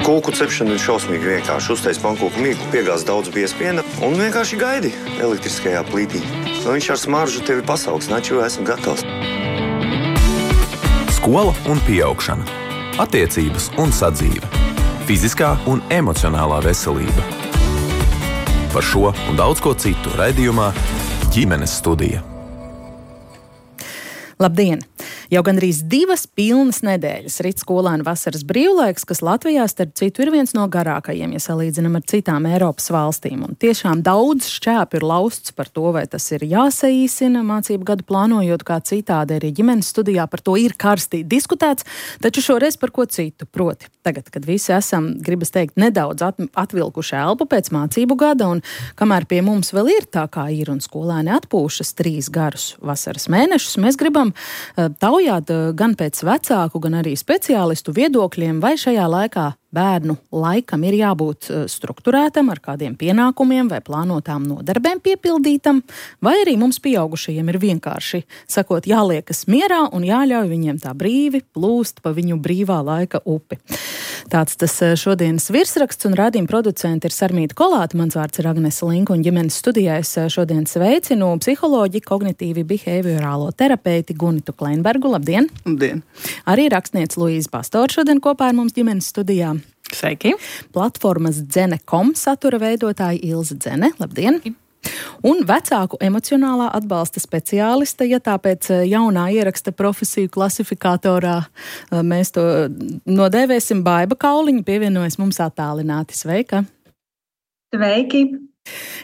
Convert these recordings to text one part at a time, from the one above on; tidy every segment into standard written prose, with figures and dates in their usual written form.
Kūku cepšana ir šausmīgi vienkārši. Uztais pankūku mīklu, piegāz daudz biespiena un vienkārši gaidi elektriskajā plītī. Viņš ar smaržu tevi pasauks, naču esmu gatavs. Skola un pieaugšana. Attiecības un sadzīve. Fiziskā un emocionālā veselība. Par šo un daudz ko citu raidījumā Ģimenes studija. Labdien! Jau gandrīz 2 pilnas nedēļas rit skolēnu vasaras brīvlaiks, kas Latvijā, starp citu, ir viens no garākajiem, ja salīdzinam ar citām Eiropas valstīm. Un tiešām daudz šķēpu ir lausts par to, vai tas ir jāsaīsina mācību gadu plānojot kā citādi. Arī ģimenes studijā par to ir karstī diskutēts, taču šoreiz par ko citu. Proti, tagad, kad visi esam, gribas teikt, nedaudz atvilkuši elpu pēc mācību gada, un kamēr pie mums vēl ir tā kā ir un skolēni atpūšas 3 garus vasaras mēnešus, mēs gribam taujāt gan pēc vecāku, gan arī speciālistu viedokļiem, vai šajā laikā bērnu laikam ir jābūt strukturētam ar kādiem pienākumiem vai plānotām nodarbēm piepildītam, vai arī mums pieaugušajiem ir vienkārši, sakot, jāliekas mierā un jāļauj viņiem tā brīvi plūst pa viņu brīvā laika upi. Tāds tas šodienas virsraksts, un raidījuma producenti ir Sarmīta Kolāte, mans vārds ir Agnese Linka, un ģimenes studijā es šodien sveicinu psiholoģi, kognitīvi behaviorālo terapeiti Gunitu Kleinbergu. Labdien! Labdien! Arī rakstniece Luīza Pastora šodien kopā ar mums ģimenes studijā. Sveiki! Platformas Dzene.com satura veidotāja Ilze Dzene. Labdien! Un vecāku emocionālā atbalsta speciāliste, ja tāpēc jaunā ieraksta profesiju klasifikatorā mēs to nodēvēsim, Baiba Kauliņa pievienojas mums attālināti. Sveika! Sveiki!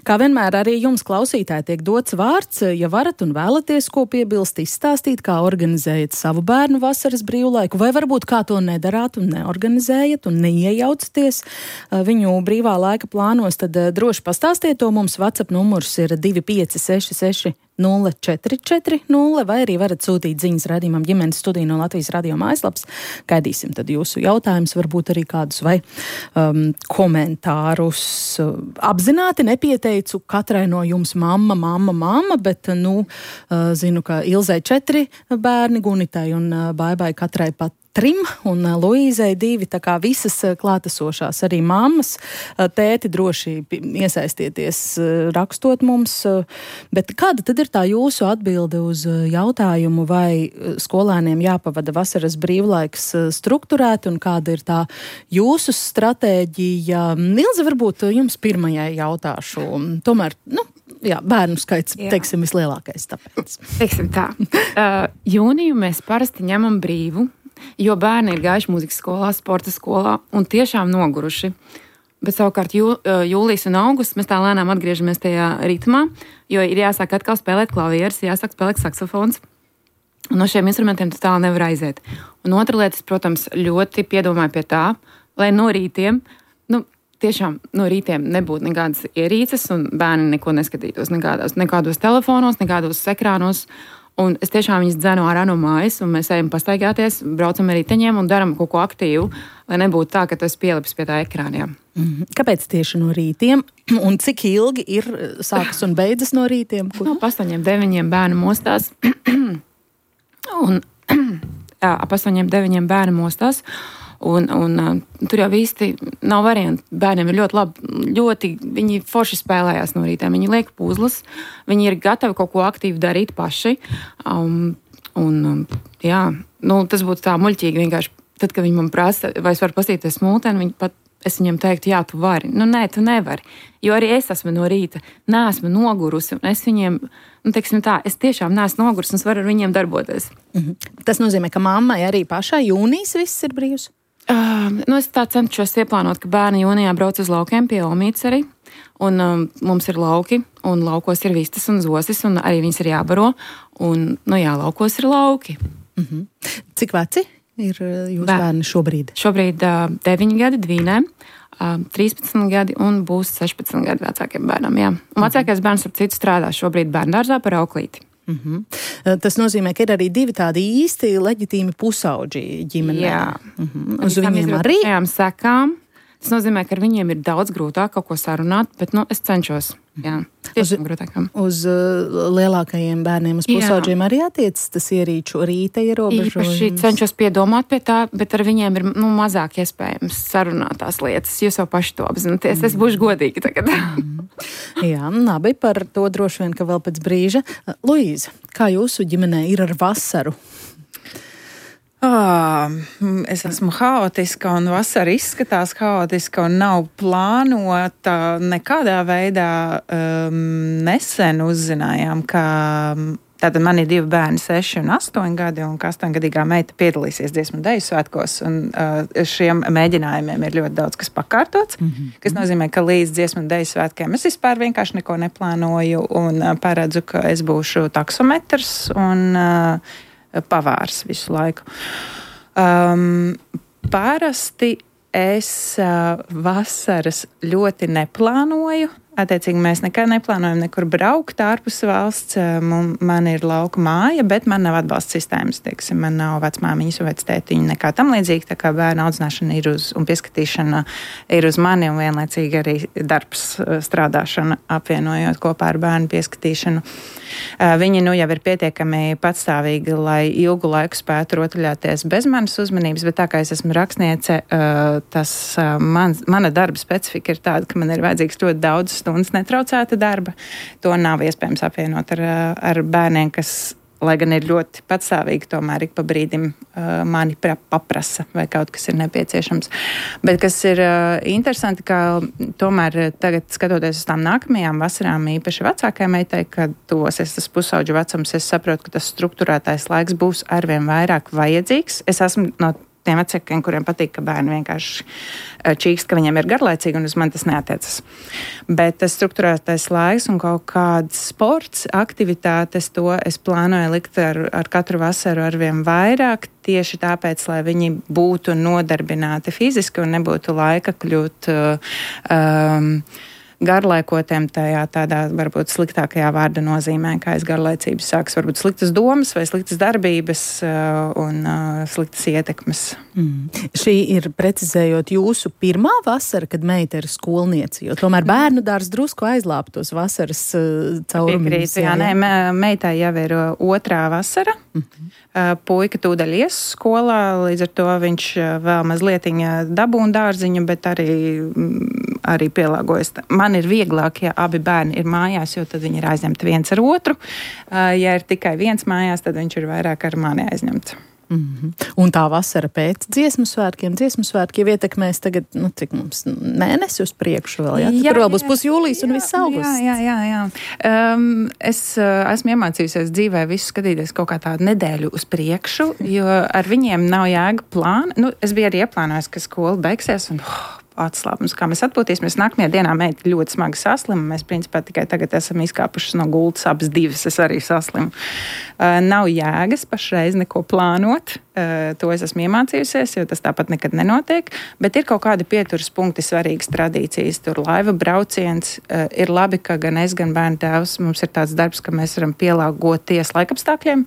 Kā vienmēr arī jums, klausītāji, tiek dots vārds, ja varat un vēlaties ko piebilst, izstāstīt, kā organizējat savu bērnu vasaras brīvlaiku, vai varbūt kā to nedarāt un neorganizējat un neiejaucaties viņu brīvā laika plānos, tad droši pastāstiet to mums. WhatsApp numurs ir 2566 0440, vai arī varat sūtīt ziņas raidījumam Ģimenes studija no Latvijas radio mājaslapas. Gaidīsim tad jūsu jautājumus, varbūt arī kādus vai komentārus. Apzināti nepieteicu katrai no jums mamma, bet, zinu, ka Ilzei 4 bērni, Gunitai un Baibai katrai pat 3 un Luīzei 2, tā kā visas klātesošās arī mammas. Tēti droši iesaistieties rakstot mums, bet kāda tad ir tā jūsu atbilde uz jautājumu, vai skolēniem jāpavada vasaras brīvlaiks strukturēt un kāda ir tā jūsu stratēģija? Ilze, varbūt jums pirmajai jautāšu. Tomēr, bērnu skaits, teiksim, vislielākais tāpēc. Teiksim tā. Jūniju mēs parasti ņemam brīvu, jo bērni ir gājuši mūzikas skolā, sporta skolā un tiešām noguruši. Bet savukārt jūlijas un augusts mēs tā lēnām atgriežamies tajā ritmā, jo ir jāsāk atkal spēlēt klavieres, jāsāk spēlēt saksofons. Un no šiem instrumentiem tu tālu nevar aiziet. Un otra lieta, protams, ļoti piedomāju pie tā, lai no rītiem, tiešām no rītiem nebūtu nekādas ierīces un bērni neko neskatītos nekādos telefonos, nekādos ekrānos. Un es tiešām viņus dzenu ārā no mājas, un mēs ejam pastaigāties, braucam ar riteņiem un daram kaut ko aktīvu, lai nebūtu tā, ka tu esi pielipis pie tā ekrāniem. Kāpēc tieši no rītiem? Un cik ilgi ir sākas un beidzas no rītiem? Ap 8-9 bērnu mostās. Ap 8-9 bērnu mostās. Un tur jau īsti nav variantu. Bērniem ir ļoti viņi forši spēlējās no rītiem. Viņi liek puzles, viņi ir gatavi kaut ko aktīvi darīt paši. Tas būtu tā muļķīgi vienkārši. Tad, kad viņi man prasa, vai es varu pastīties smulteni, es viņam teiktu, jā, tu vari. Nē, tu nevari. Jo arī es esmu no rīta, neesmu nogurusi. Un es viņiem, es tiešām neesmu nogurusi un es varu ar viņiem darboties. Tas nozīmē, ka mammai arī pašai jūnijas viss ir brīvs? Es tā cenšos ieplānot, ka bērni jūnijā brauc uz laukiem pie Olmītes arī. Un mums ir lauki, un laukos ir vistas un zosis, un arī viņas ir jābaro. Un, laukos ir lauki. Cik veci ir jūsu bērni šobrīd? Šobrīd 9 gadi Dvīnē, 13 gadi un būs 16 gadi vecākiem bērnam, jā. Un vecākais bērns ar citu strādā šobrīd bērndārzā par auklīti. Tas nozīmē, ka ir arī 2 tādi īsti leģitīmi pusauģi ģimenē. Jā. Uz viņiem arī? Sekām. Tas nozīmē, ka ar viņiem ir daudz grūtāk kaut ko sarunāt, bet es cenšos. Jā, tiešām grūtākām. Uz lielākajiem bērniem, uz pusaudžiem arī attiecas tas ierīču rīta ierobežojums? Īpaši cenšos piedomāt pie tā, bet ar viņiem ir mazāk iespējams sarunāt tās lietas. Jūs jau paši to apzināties. Es būšu godīga tagad. Jā, labi, par to droši vien, ka vēl pēc brīža. Luīza, kā jūsu ģimenē ir ar vasaru? Es esmu haotiska un vasara izskatās haotiska un nav plānota nekādā veidā. Nesen uzzinājām, ka tātad man ir 2 bērni, 6 un 8 gadi, un 8-gadīgā meita piedalīsies Dziesmu un Deju svētkos, un šiem mēģinājumiem ir ļoti daudz kas pakārtots, kas nozīmē, ka līdz Dziesmu un Deju svētkiem es vispār vienkārši neko neplānoju un paredzu, ka es būšu taksometrs un pavārs visu laiku. Parasti es vasaras ļoti neplānoju. Attiecīgi mēs nekad neplānojam nekur braukt ārpus valsts. Man ir lauka māja, bet man nav atbalsta sistēmas. Teiksim, man nav vecmāmiņas un vectētiņa nekā tam līdzīgi. Tā kā bērnu audzināšana ir un pieskatīšana ir uz mani un vienlaicīgi arī darbs strādāšana apvienojot kopā ar bērnu pieskatīšanu. Viņi jau ir pietiekami patstāvīgi, lai ilgu laiku spētu rotaļāties bez manas uzmanības, bet tā kā es esmu rakstniece, mana darba specifika ir tāda, ka man ir vajadzīgs ļoti daudz stundas netraucēta darba. To nav iespējams apvienot ar bērniem, kas, lai gan ir ļoti patstāvīgi, tomēr ik pa brīdim mani paprasa, vai kaut kas ir nepieciešams. Bet kas ir interesanti, ka tomēr tagad, skatoties uz tām nākamajām vasarām, īpaši vecākajai meitai, kad tuvosies tas pusauģu vecums, es saprotu, ka tas strukturētais laiks būs arvien vairāk vajadzīgs. Es esmu no tiem vecākiem, kuriem patīk, ka bērni vienkārši čīkst, ka viņiem ir garlaicīgi, un uz mani tas neatiecas. Bet tas strukturētais laiks un kaut kāds sports, aktivitātes, to es plānoju likt ar katru vasaru arvien vairāk, tieši tāpēc, lai viņi būtu nodarbināti fiziski un nebūtu laika kļūt garlaikotiem tajā tādā varbūt sliktākajā vārda nozīmē, kā aiz garlaicības sāks varbūt sliktas domas vai sliktas darbības un sliktas ietekmes. Šī ir, precizējot, jūsu pirmā vasara, kad meita ir skolniece, jo tomēr bērnu dārs drusku aizlāpa tos vasaras caurumus. Jā, meitai jau ir 2. vasara. Puika tūdaļ ies skolā, līdz ar to viņš vēl mazlietiņa dabūna dārziņu, bet arī pielāgojas. Man ir vieglāk, ja abi bērni ir mājās, jo tad viņi ir aizņemti viens ar otru. Ja ir tikai viens mājās, tad viņš ir vairāk ar mani aizņemts. Un tā vasara pēc dziesmu svētkiem jau ietekmēs tagad, cik mums mēnesi uz priekšu vēl, jā? Tur vēl būs pusjūlijas un viss augusts. Jā. Es esmu iemācījusies dzīvē visu skatīties kaut kā tādu nedēļu uz priekšu, jo ar viņiem nav jēga plāna. Es biju arī ieplānojis, ka skola beigsies un atslābums, kā mēs atpūtīsimies. Nākamajā dienā meita ļoti smagi saslima. Mēs, principā, tikai tagad esam izkāpušas no gultas, abas divas, es arī saslimu. Nav jēgas pašreiz neko plānot. To es esmu iemācījusies, jo tas tāpat nekad nenotiek. Bet ir kaut kādi pieturas punkti, svarīgas tradīcijas. Tur laiva brauciens. Ir labi, ka gan es, gan bērnu tēvs, mums ir tāds darbs, ka mēs varam pielāgoties laikapstākļiem.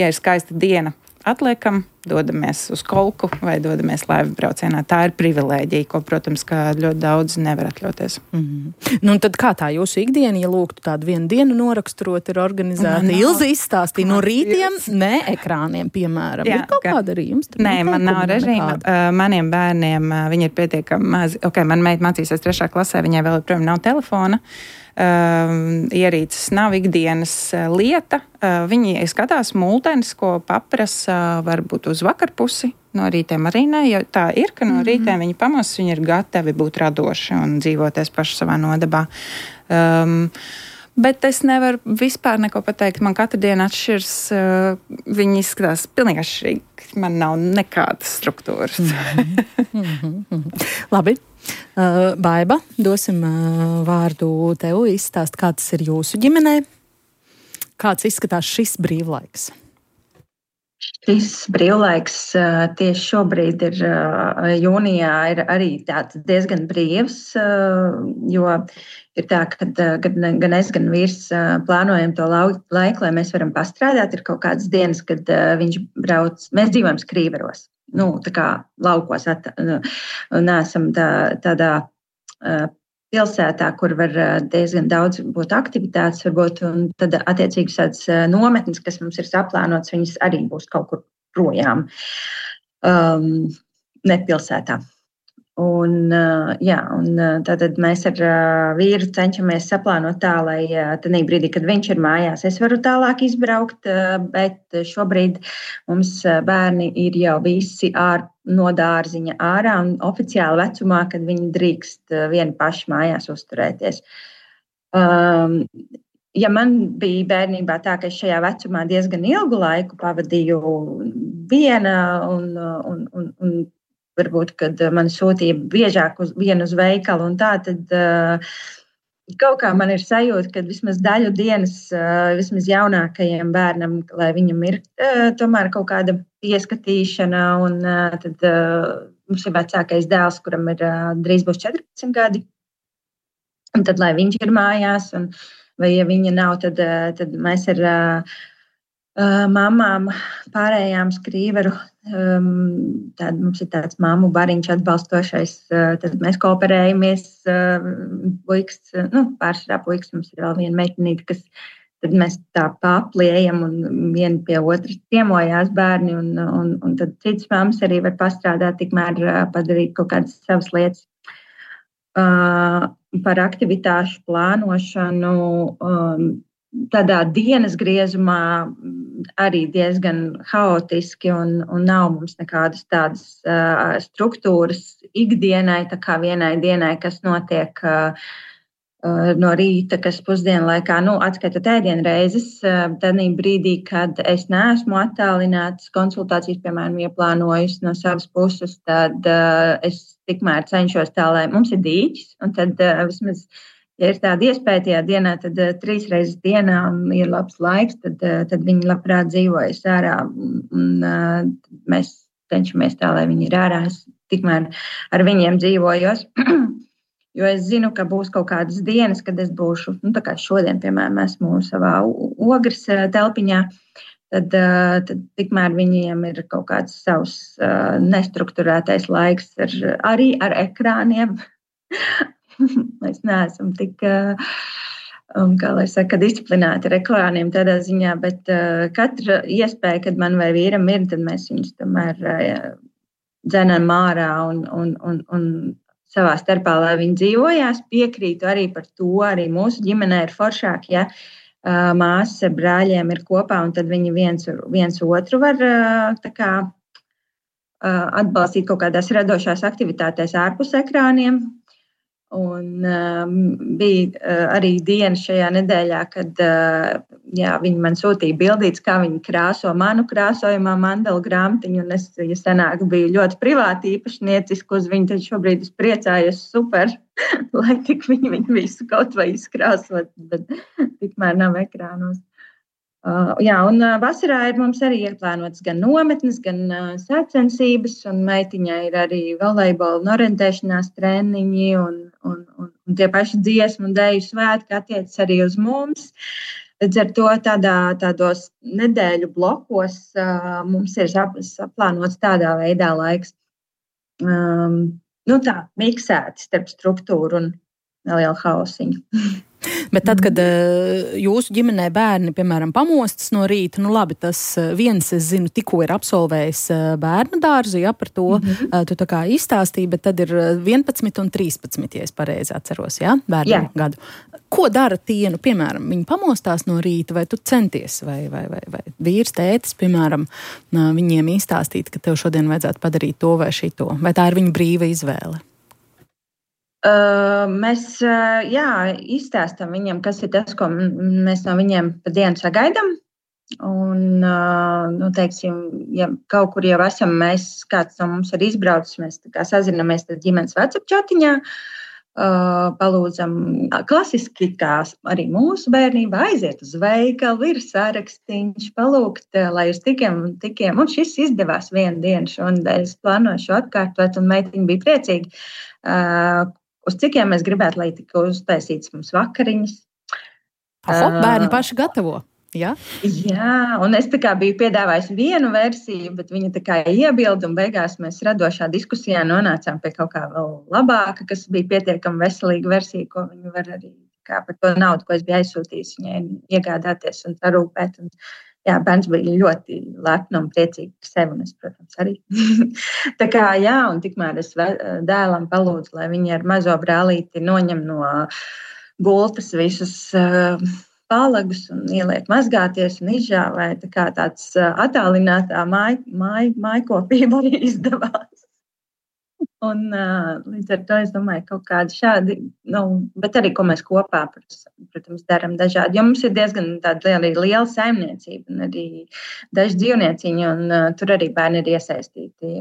Ja ir skaista diena, atliekam, dodamies uz kolku vai dodamies laivu braucienā. Tā ir privilēģija, ko, protams, ka ļoti daudz nevar atļauties. Un tad kā tā jūsu ikdiena, ja lūgtu tādu vienu dienu noraksturot, ir organizēta? Ilze izstāstīja no rītiem, ne ekrāniem, piemēram. Ir kaut kāda arī jums? Nē, man nav režīma. Maniem bērniem, viņi ir pietiekami mazi. Man meita mācīsies 3. klasē, viņai vēl joprojām nav telefona. Ierīces nav ikdienas lieta. Viņi skatās multenis, ko paprasa varbūt uz vakarpusi. No rītiem arī ne, jo tā ir, ka no rītiem viņi pamostas, viņi ir gatavi būt radoši un dzīvoties paši savā nodabā. Bet es nevaru vispār neko pateikt. Man katru dienu atšķirs. Viņi izskatās pilnīgi atšķirīgi. Man nav nekādas struktūras. Labi. Baiba, dosim vārdu tev izstāst, kā tas ir jūsu ģimenē. Kāds izskatās šis brīvlaiks? Šis brīvlaiks tieši šobrīd ir jūnijā ir arī tāds diezgan brīvs, jo ir tā, ka gan es, gan vīrs plānojam to laiku, lai mēs varam pastrādāt. Ir kaut kādas dienas, kad viņš brauc, mēs dzīvojam Skrīveros. tā kā laukos, neesam tādā pilsētā, kur var diezgan daudz būt aktivitātes, varbūt, un tad attiecīgi tādas nometnes, kas mums ir saplānotas, viņas arī būs kaut kur projām, ne pilsētā. Un tātad mēs ar vīru cenšamies saplānot tā, lai tādā brīdī, kad viņš ir mājās, es varu tālāk izbraukt, bet šobrīd mums bērni ir jau visi no dārziņa ārā un oficiāli vecumā, kad viņi drīkst vieni paši mājās uzturēties. Ja man bija bērnībā tā, ka es šajā vecumā diezgan ilgu laiku pavadīju viena un varbūt, kad man sūtīja biežāk vienu uz veikalu un tā, tad kaut kā man ir sajūta, ka vismaz daļu dienas, vismaz jaunākajiem bērnam, lai viņam ir tomēr kaut kāda pieskatīšana, un tad mums ir vecākais dēls, kuram ir drīz būs 14 gadi, un tad, lai viņš ir mājās, vai ja viņa nav, tad mēs ar mamām pārējām Skrīveru, tad mums ir tāds mammu bariņš atbalstošais, tad mēs kooperējamies, pārsvarā puikas, mums ir vēl viena meitenīte, kas tad mēs tā papliejam un vieni pie otras ciemojās bērni, un tad citas mammas arī var pastrādāt, tikmēr padarīt kaut kādas savas lietas. Par aktivitāšu plānošanu, tādā dienas griezumā arī diezgan haotiski un nav mums nekādas tādas struktūras ikdienai, tā kā vienai dienai, kas notiek no rīta, kas pusdienlaikā, atskaitot ēdienreizes, tad brīdī, kad es neesmu attālināts konsultācijas, piemēram, ieplānojusi no savas puses, tad es tikmēr cenšos tā, lai mums ir dīķis, un tad vismaz, ja ir tāda iespēja tajā dienā, tad 3 reizes dienā ir labs laiks, tad viņi labprāt dzīvojas ārā, un mēs cenšamies tā, lai viņi ir ārā. Es tikmēr ar viņiem dzīvojos, jo es zinu, ka būs kaut kādas dienas, kad es būšu, tā kā šodien, piemēram, esmu savā ogres telpiņā, tad tikmēr viņiem ir kaut kāds savs nestrukturētais laiks arī ar ekrāniem. Mēs neesam tik, kā lai saka, disciplinēti ar ekrāniem tādā ziņā, bet katra iespēja, kad man vai vīram ir, tad mēs viņus tomēr dzenam ārā un savā starpā, lai viņi dzīvojās. Piekrītu arī par to, arī mūsu ģimenē ir foršāk, ja māsas ar brāļiem ir kopā, un tad viņi viens otru var tā kā atbalstīt kaut kādās radošās aktivitātēs ārpus ekrāniem. Un bija arī diena šajā nedēļā, kad viņi man sūtīja bildītes, kā viņi krāso manu krāsojumā mandala grāmatiņu, un es, ja senāk biju ļoti privāti īpašnieciski uz viņu, tad šobrīd es priecājos super, lai tik viņi visu kaut vai izkrāsot, bet tikmēr nav ekrānos. Un vasarā ir mums arī ieplānotas gan nometnes, gan sacensības, un meitiņai ir arī volejbola un orientēšanās treniņi, un tie paši dziesmu un deju svētki attiecas arī uz mums. Līdz ar to tādos nedēļu blokos mums ir saplānots tādā veidā laiks. Tā, miksēti starp struktūru un nelielu hausiņu. Bet tad, kad jūsu ģimenē bērni, piemēram, pamostas no rīta, labi, tas viens, es zinu, tikko ir absolvējis bērnu dārzu, par to tu tā kā izstāstīji, bet tad ir 11 un 13, ja es pareizi atceros, bērnu gadu. Ko dara tie, piemēram, viņi pamostās no rīta, vai tu centies, vai vīrs, tētis, piemēram, viņiem izstāstīt, ka tev šodien vajadzētu padarīt to vai šito, vai tā ir viņa brīva izvēle? Mēs izstāstam viņiem, kas ir tas, ko mēs no viņiem pa dienu sagaidām. Un, teiksim, ja kaut kur jau esam, kāds no mums ir izbraucis, mēs tā kā sazinamies ģimenes WhatsApp čatiņā, palūdzam klasiski, kā arī mūsu bērnība, aiziet uz veikalu, ir sārakstīņš, palūgt, lai uz tikiem, un šis izdevās vienu dienu šonadēļ, es plānoju šo atkārtot, un meitiņa bija priecīga. Uz cikiem mēs gribētu, lai tika uztaisīts mums vakariņas. Bērni paši gatavo. Ja? Jā, un es tā kā biju piedāvājusi vienu versiju, bet viņa tā kā iebilda, un beigās mēs radošā diskusijā nonācām pie kaut kā vēl labāka, kas bija pietiekami veselīga versija, ko viņa var arī kā par to naudu, ko es biju aizsūtījis, viņai iegādāties un parūpēt. Un, jā, bērns bija ļoti lepni un priecīgi par sevi, un es, protams, arī. Tā kā, jā, un tikmēr es dēlam palūdzu, lai viņi ar mazo brālīti noņem no gultas visus palagus un ieliek mazgāties un izžāvē. Tā kā tāds attālinātā mājkopība arī izdevās. Un līdz ar to es domāju, kaut kādi šādi, bet arī, ko mēs kopā, protams, darām dažādi. Jo mums ir diezgan tāda liela saimniecība un arī daži dzīvnieciņi, un tur arī bērni ir iesaistīti.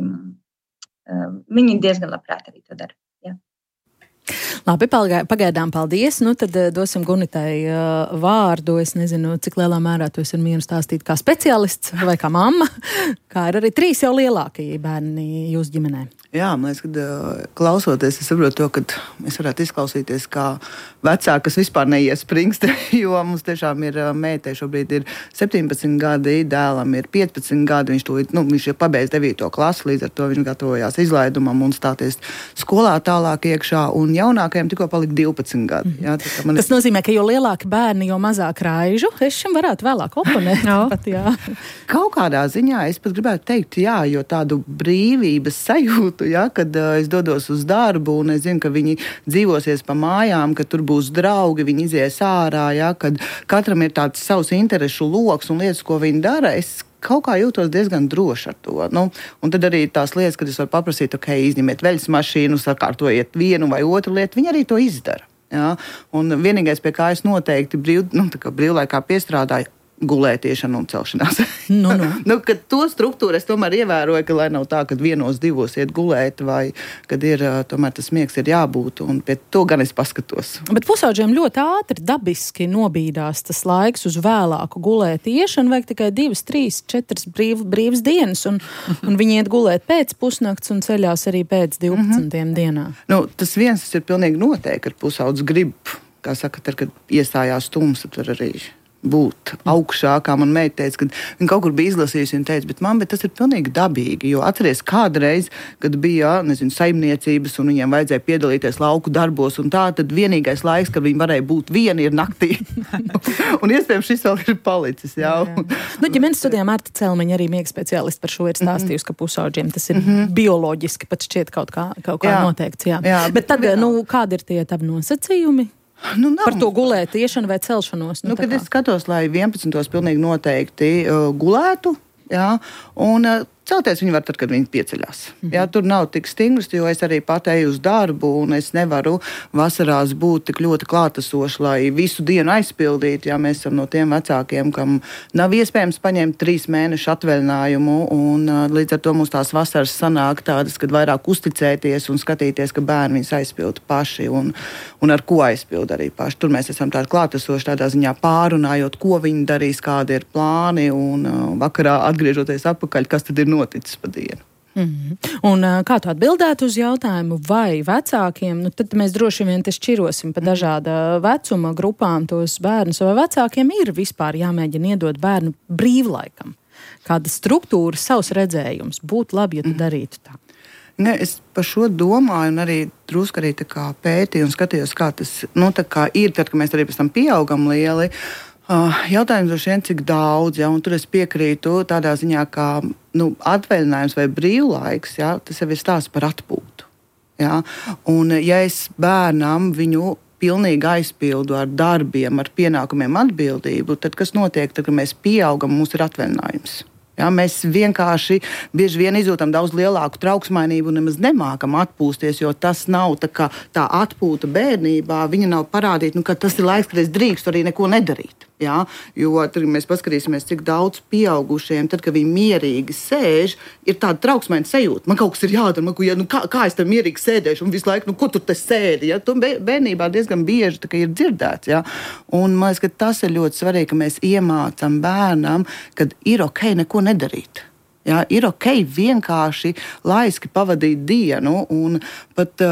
Viņi diezgan labprāt arī to dara. Jā. Labi, pagaidām paldies. Nu, tad dosim Gunitai vārdu. Es nezinu, cik lielā mērā tu esi mieru stāstīt kā speciālists vai kā mamma, kā ir arī 3 jau lielākie bērni jūsu ģimenē. Jā, man liekas, kad klausoties, es saprotu to, ka es varētu izklausīties kā vecāka, kas vispār neiespringst, jo mums tiešām ir meitai šobrīd ir 17 gadi, dēlam ir 15 gadi, viņš ir pabeidz 9. klasi, līdz ar to viņš gatavojās izlaidumam un stāties skolā tālāk iekšā, un jaunākajam tikko palika 12 gadi. Jā, Tas nozīmē, ka jo lielāki bērni, jo mazāk raižu. Es šim varētu vēlāk oponēt. Pat, jā. Kaut kādā ziņā es pat gribētu teikt, jā, jo tādu brīvības sajūtu, ja, kad es dodos uz darbu un es zinu, ka viņi dzīvosies pa mājām, ka tur būs draugi, viņi izies ārā, ja, kad katram ir tāds savs interešu loks un lietas, ko viņi dara, es kaut kā jūtos diezgan droši ar to. Un tad arī tās lietas, kad es varu paprasīt, izņemiet veļas mašīnu, sakārtojiet vienu vai otru lietu, viņi arī to izdara. Ja. Un vienīgais, pie kā es noteikti brīvlaikā piestrādāju, gulētiešana un celšanās. Kad to struktūru es tomēr ievēroju, ka lai nav tā, kad 1-2 iet gulēt, vai kad ir tomēr tas miegs ir jābūt, un pie to gan es paskatos. Bet pusauģiem ļoti ātri dabiski nobīdās tas laiks uz vēlāku gulētiešanu, vajag tikai 2, 3, 4 brīvas dienas, un viņi iet gulēt pēc pusnakts un ceļās arī pēc 12 dienā. Tas viens ir pilnīgi noteikti, kad pusaudzis grib, kā saka, tad, kad iestājās tumsa, tur arī būt augšā, kā man meita teica, kad viņa kaut kur bija izlasījusi, viņa teica, bet tas ir pilnīgi dabīgi, jo atceries kādreiz, kad bija, saimniecības un viņiem vajadzēja piedalīties lauku darbos un tā, tad vienīgais laiks, kad viņi varēja būt vieni, ir naktī. Un iespējams šis vēl ir palicis, jā. Ģimenes studijā Marta Celmiņa arī miega speciālisti par šo ir stāstījusi, ka pusauģiem tas ir bioloģiski pat šķiet kaut kā noteikts, jā. Bet tad, kādi ir tie tavi nosacījumi? Par to gulētiešanu vai celšanos? Kad es skatos, lai 11. pilnīgi noteikti gulētu, jā, un celties viņi var tad, kad viņi pieceļās. Jā, tur nav tik stingrs, jo es arī pat eju uz darbu, un es nevaru vasarās būt tik ļoti klātesoši, lai visu dienu aizpildītu. Jā, mēs esam no tiem vecākiem, kam nav iespējams paņemt 3 mēnešu atvaļinājumu, un līdz ar to mums tās vasaras sanāk tādas, kad vairāk uzticēties un skatīties, ka bērni viņus aizpilda paši, un ar ko aizpilda arī paši. Tur mēs esam tādi klātesoši tādā ziņā pārunājot, ko viņi darīs, kādi ir plāni, un vakarā atgriežoties atpakaļ, kas tad ir noticis pa dienu. Un kā tu atbildētu uz jautājumu, vai vecākiem, tad mēs droši vien te šķirosim pa dažāda vecuma grupām tos bērnus, vai vecākiem ir vispār jāmēģina iedot bērnu brīvlaikam? Kāda struktūra, savs redzējums? Būtu labi, ja tu darītu tā. Es par šo domāju un arī drusku arī tā kā pētīju un skatījos, kā tas tā kā ir, tad, kad mēs arī pēc tam pieaugam lieli. Jautājums droši vien, cik daudz, ja, un tur es piekrītu tādā ziņā, kā atvaļinājums vai brīvlaiks, ja, tas jau ir stāsts par atpūtu. Ja. Un ja es bērnam viņu pilnīgi aizpildu ar darbiem, ar pienākumiem atbildību, tad kas notiek, tad, kad mēs pieaugam, mums ir atvaļinājums. Ja, mēs vienkārši bieži vien izjūtam daudz lielāku trauksmainību un nemaz nemākam atpūsties, jo tas nav tā atpūta bērnībā. Viņa nav parādīta, ka tas ir laiks, kad es drīkstu arī neko nedarīt. Ja? Jo tad mēs paskatīsimies, cik daudz pieaugušiem, tad, kad viņi mierīgi sēž, ir tāda trauksmaina sajūta. Man kaut kas ir jādara, kā es tam mierīgi sēdēšu un visu laiku, ko tu te sēdi? Ja? Tu bērnībā diezgan bieži ir dzirdēts. Ja? Un man liekas, ka tas ir ļoti svarīgi, ka mēs iemācam bērnam, kad ir ok neko nedarīt. Jā, ir ok vienkārši laiski pavadīt dienu un pat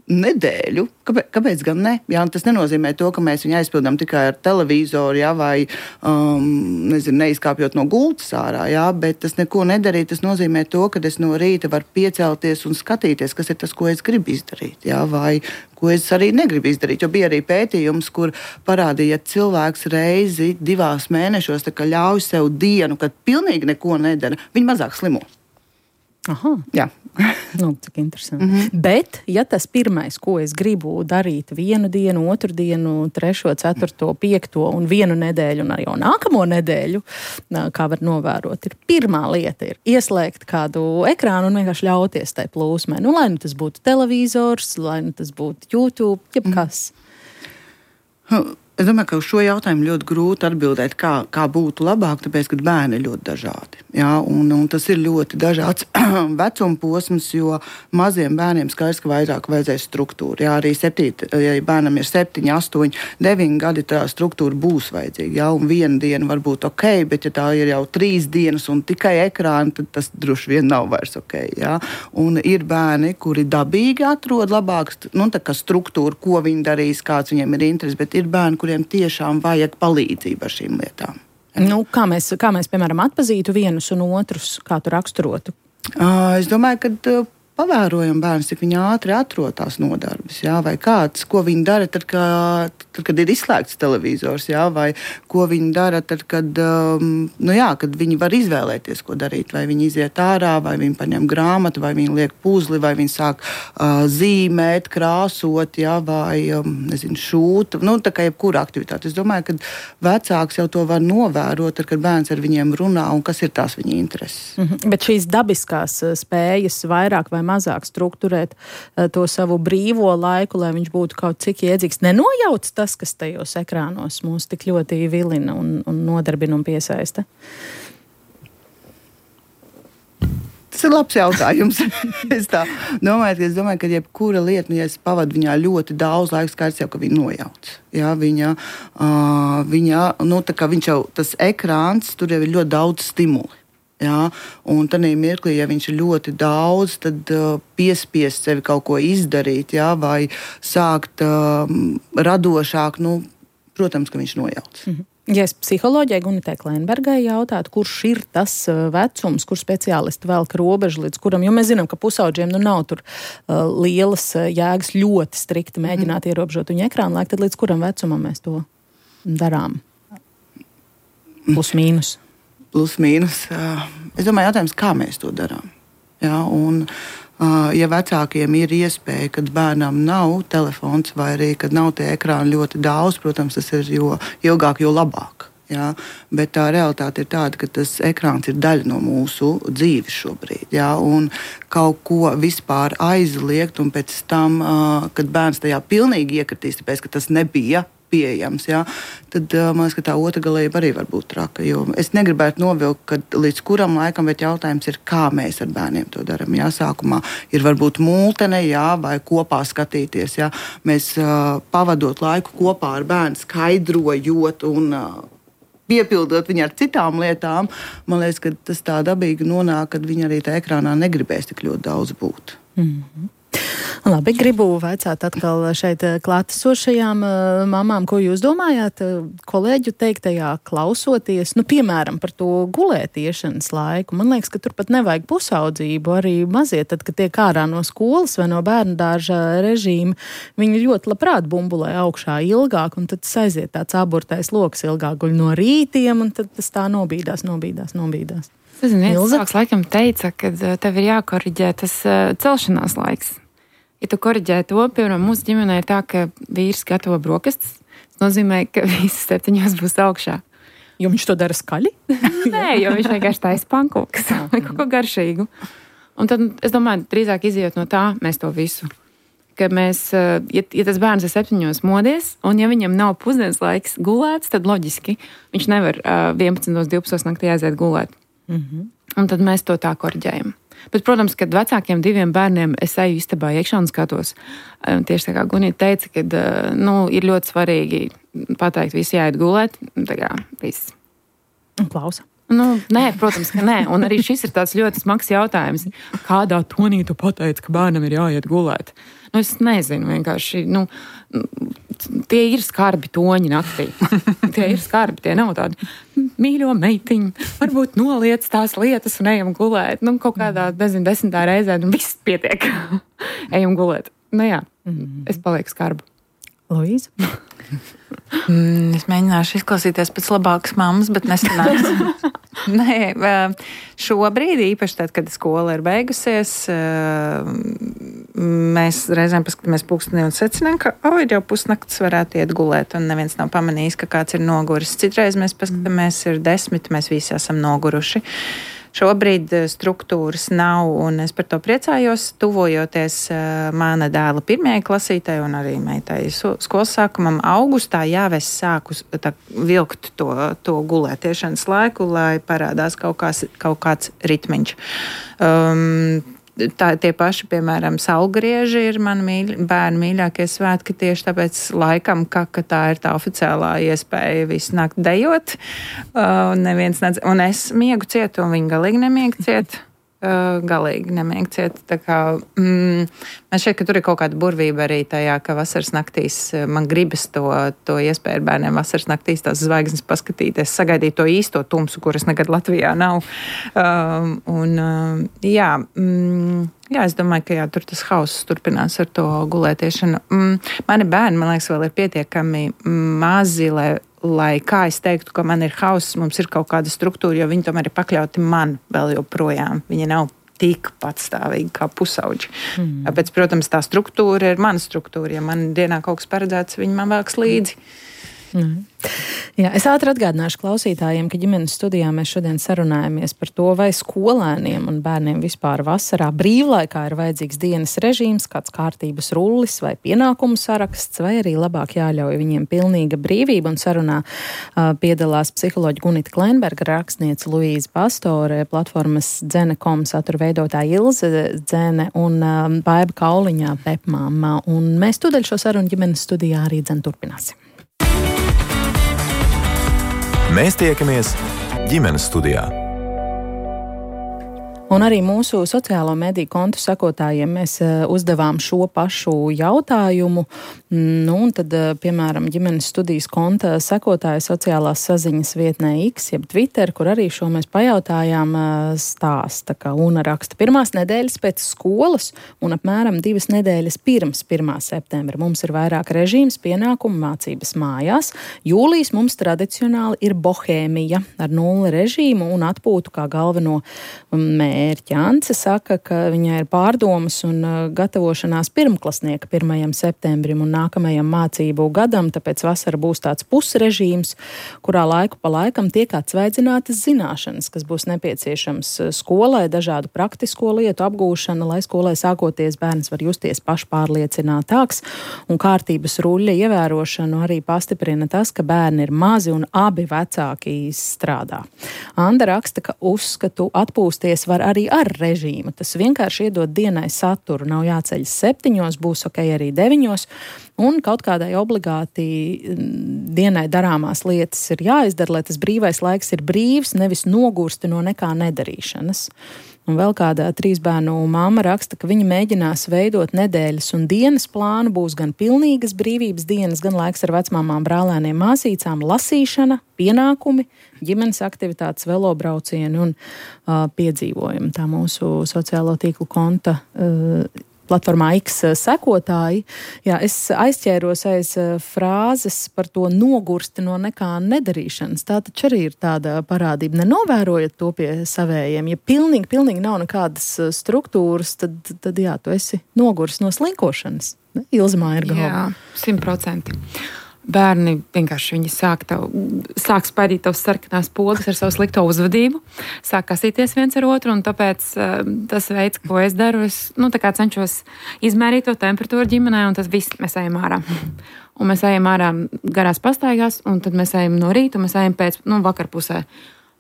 nedēļu. Kāpēc gan ne? Jā, tas nenozīmē to, ka mēs viņu aizpildām tikai ar televizoru, jā, vai neizkāpjot no gultas ārā, jā, bet tas neko nedarīt. Tas nozīmē to, ka es no rīta varu piecelties un skatīties, kas ir tas, ko es gribu izdarīt, jā, vai ko es arī negribu izdarīt. Jo bija arī pētījums, kur parādīja, ja cilvēks reizi 2 mēnešos ļauj sev dienu, kad pilnīgi neko nedara, viņi mazāk slimo. Aha. Jā. Cik interesanti. Bet, ja tas pirmais, ko es gribu darīt 1 dienu, 2 dienu, 3, 4, 5 un 1 nedēļu un arī jau nākamo nedēļu, kā var novērot, pirmā lieta ir ieslēgt kādu ekrānu un vienkārši ļauties tai plūsmai. Lai nu tas būtu televizors, lai nu tas būtu YouTube, jebkas. Es domāju, ka uz šo jautājumu ļoti grūti atbildēt, kā būtu labāk, tāpēc, ka bērni ir ļoti dažādi. Jā, un tas ir ļoti dažāds vecuma posms, jo maziem bērniem skaidrs, ka vairāk vajadzēs struktūru. Jā, arī ja bērnam ir 7, 8, 9 gadi, tā struktūra būs vajadzīga. Jā, un 1 diena var būt ok, bet ja tā ir jau 3 dienas un tikai ekrāni, tad tas droši vien nav vairs ok. Jā. Un ir bērni, kuri dabīgi atrod labāku struktūru, ko viņi darīs, kāds viņiem ir interesi, bet ir bērni, kuriem tiešām vajag palīdzību ar šīm lietām. Kā mēs, piemēram, atpazītu vienus un otrus, kā tu raksturotu? Es domāju, ka pavērojam bērns, cik viņi ātri atrod tās nodarbes, jā, vai kāds, ko viņi dara tad, kad ir izslēgts televizors, jā, vai ko viņi dara tad, kad viņi var izvēlēties, ko darīt, vai viņi iziet ārā, vai viņi paņem grāmatu, vai viņi liek puzli, vai viņi sāk zīmēt, krāsot, jā, vai, šūt, tā kā jebkura aktivitāte. Es domāju, ka vecāks jau to var novērot, tad, kad bērns ar viņiem runā un kas ir tās viņa intereses. Bet šīs dabiskās spējas vairāk vai mazāk strukturēt to savu brīvo laiku, lai viņš būtu kaut cik iedzīgs. Nenojauc tas, kas tajos ekrānos mūs tik ļoti vilina un nodarbina un piesaista? Tas ir labs jautājums. Es domāju, ka jebkura lieta, ja es pavadu viņā ļoti daudz laika, skaidrs jau, ka viņa nojauc. Jā, viņš jau, tas ekrāns, tur jau ir ļoti daudz stimuli. Jā, un tādā mirklī, ja viņš ir ļoti daudz, tad piespiest sevi kaut ko izdarīt, jā, vai sākt radošāk, protams, ka viņš nojauc. Ja es psiholoģijai Gunitei Kleinbergai jautātu, kurš ir tas vecums, kur speciālisti velk robežu līdz kuram, jo mēs zinām, ka pusaudžiem nav tur lielas jēgas ļoti strikti mēģināt ierobežot viņu ekrānu laiku, tad līdz kuram vecumam mēs to darām? Plus mīnus. Plus mīnus. Es domāju, jautājums, kā mēs to darām. Jā, un, ja vecākiem ir iespēja, kad bērnam nav telefons vai arī, kad nav tie ekrāni ļoti daudz, protams, tas ir jo ilgāk, jo labāk. Jā, bet tā realitāte ir tāda, ka tas ekrāns ir daļa no mūsu dzīves šobrīd. Jā, un kaut ko vispār aizliegt, un pēc tam, kad bērns tajā pilnīgi iekritīs, tāpēc, ka tas nebija pieejams, jā, tad man liekas, ka tā otra galība arī var būt traka. Jo es negribētu novilkt, kad līdz kuram laikam, bet jautājums ir, kā mēs ar bērniem to darām. Jā, sākumā ir varbūt multene, jā, vai kopā skatīties. Jā. Mēs pavadot laiku kopā ar bērnu, skaidrojot un piepildot viņu ar citām lietām, man liekas, ka tas tā dabīgi nonāk, kad viņi arī tā ekrānā negribēs tik ļoti daudz būt. Labi, gribu vaicāt atkal šeit klātesošajām mamām, ko jūs domājāt kolēģu teiktajā klausoties, piemēram, par to gulētiešanas laiku. Man liekas, ka tur pat nevajag pusaudzību, arī mazie, tad, kad tiek ārā no skolas vai no bērnu dārza režīma, viņi ļoti labprāt bumbulē augšā ilgāk, un tad aiziet tāds aburtais loks ilgāk guļ no rītiem, un tad tas tā nobīdās. Es zinu, cilvēks laikam teica, ka tev ir jākoriģē tas celšanās laiks. Ja tu koriģē to, piemēram, mūsu ģimenē ir tā, ka vīrs gatavo brokastis, tas nozīmē, ka visi 7 būs augšā. Jo viņš to dara skaļi? Nē, jo viņš vienkārši taisa pankūkas vai kaut ko garšīgu. Un tad, es domāju, drīzāk izejot no tā, mēs to visu. Ka mēs, ja tas bērns ir 7 modies, un ja viņam nav pusdienas laiks gulēts, tad loģiski viņš nevar 11, 12 naktī aiziet gulēt. Un tad mēs to tā koriģējam. Bet, protams, kad vecākiem 2 bērniem es eju istabā iekšā un skatos, tieši tā kā Gunita teica, ka ir ļoti svarīgi pateikt, visi jāiet gulēt, tā kā viss. Un klausa. Nē, protams, ka nē. Un arī šis ir tāds ļoti smags jautājums. Kādā tonī tu pateici, ka bērnam ir jāiet gulēt? Es nezinu, vienkārši. Tie ir skarbi toņi naktī. Tie ir skarbi, tie nav tādi mīļo meitiņu. Varbūt noliec tās lietas un ejam gulēt. Kaut kādā, 10. reizē, viss pietiek. Ejam gulēt. Jā, es palieku skarbu. Luīza? Es mēģināšu izklausīties pēc labākas mammas, bet nesanāks. Nē, šobrīd, īpaši tad, kad skola ir beigusies, mēs reizēm paskatāmies pulkstenī un secinām, ka ir jau pusnakts, varētu iet gulēt, un neviens nav pamanījis, ka kāds ir noguris. Citreiz mēs paskatāmies, ir 10, mēs visi esam noguruši. Šobrīd struktūras nav, un es par to priecājos, tuvojoties mana dēla 1. klasītei un arī meitai skolas sākumam. Augustā jau es sāku vilkt to gulētiešanas laiku, lai parādās kaut kāds ritmiņš. Tie paši, piemēram, saulgrieži ir mani bērnu mīļākie svētki tieši tāpēc laikam, ka tā ir tā oficiālā iespēja visu nakti dejot. Un es miegu ciet, un viņi galīgi nemieg ciet. Tā kā man šķiet, ka tur ir kaut kāda burvība arī tajā, ka vasaras naktīs man gribas to iespēju ar bērniem vasaras naktīs tās zvaigznes paskatīties, sagaidīt to īsto tumsu, kuras nekad Latvijā nav. Jā, es domāju, ka tur tas hauss turpinās ar to gulētiešanu. Mani bērni, man liekas, vēl ir pietiekami mazi, lai kā es teiktu, ka man ir hauss, mums ir kaut kāda struktūra, jo viņi tomēr ir pakļauti man vēl joprojām. Viņi nav tik patstāvīgi kā pusauģi. Tāpēc, protams, tā struktūra ir mana struktūra. Ja man dienā kaut kas paredzēts, viņi man vēks līdzi. Jā, es ātri atgādināšu klausītājiem, ka ģimenes studijā mēs šodien sarunājamies par to, vai skolēniem un bērniem vispār vasarā brīvlaikā ir vajadzīgs dienas režīms, kāds kārtības rullis vai pienākumu saraksts, vai arī labāk jāļauj viņiem pilnīga brīvība. Un sarunā piedalās psiholoģi Gunita Kleinberga, rakstniece Luīza Pastore, platformas Dzene.com satura veidotāja Ilze Dzene un Baiba Kauliņā Pepmāma. Un mēs tūdaļ šo sarunu ģimenes studijā arī turpināsim. Mēs tiekamies ģimenes studijā. Un arī mūsu sociālo mediju kontu sekotājiem mēs uzdevām šo pašu jautājumu. Un tad, piemēram, ģimenes studijas konta sekotāja sociālās saziņas vietnē X, jeb Twitter, kur arī šo mēs pajautājām, stāsta, ka Una raksta 1. nedēļas pēc skolas un apmēram 2 nedēļas pirms 1. septembra. Mums ir vairāk režīms, pienākumu, mācības mājās. Jūlijas mums tradicionāli ir bohēmija ar 0 režīmu un atpūtu kā galveno mērķi. Ance saka, ka viņai ir pārdomas un gatavošanās pirmklasnieka 1. septembrim un nākamajam mācību gadam, tāpēc vasara būs tāds pusrežīms, kurā laiku pa laikam tiek atsvaidzinātas zināšanas, kas būs nepieciešams skolai, dažādu praktisko lietu apgūšana, lai skolai sākoties bērns var justies pašpārliecinātāks, un kārtības ruļļa ievērošanu arī pastiprina tas, ka bērni ir mazi un abi vecāki strādā. Anda raksta, ka uzskatu atpūsties var arī ar režīmu. Tas vienkārši iedod dienai saturu. Nav jāceļas 7, būs ok arī 9, un kaut kādai obligāti dienai darāmās lietas ir jāizdara, lai tas brīvais laiks ir brīvs, nevis nogursti no nekā nedarīšanas. Un vēl kāda 3 bērnu mamma raksta, ka viņa mēģinās veidot nedēļas un dienas plānu, būs gan pilnīgas brīvības dienas, gan laiks ar vecmāmām, brālēniem, māsīcām, lasīšana, pienākumi, ģimenes aktivitātes, velobraucieni un piedzīvojumi. Tā mūsu sociālo tīklu konta platformā X sekotāji. Jā, es aizķēros aiz frāzes par to nogursti no nekā nedarīšanas. Tā taču arī ir tāda parādība. Nenovērojat to pie savējiem. Ja pilnīgi nav nekādas struktūras, tad jā, tu esi nogursti no slinkošanas. Ilzmā ir galva. Jā, 100%. Bērni vienkārši sāk spaidīt tavas sarkanās pogas ar savu slikto uzvedību, sāk kasīties viens ar otru, un tāpēc tas veids, ko es daru, es tā kā cenšos izmērīt to temperatūru ģimenē, un tas viss mēs ejam ārā. Un mēs ejam ārā garās pastaigās, un tad mēs ejam no rīta, un mēs ejam pēc vakarpusē.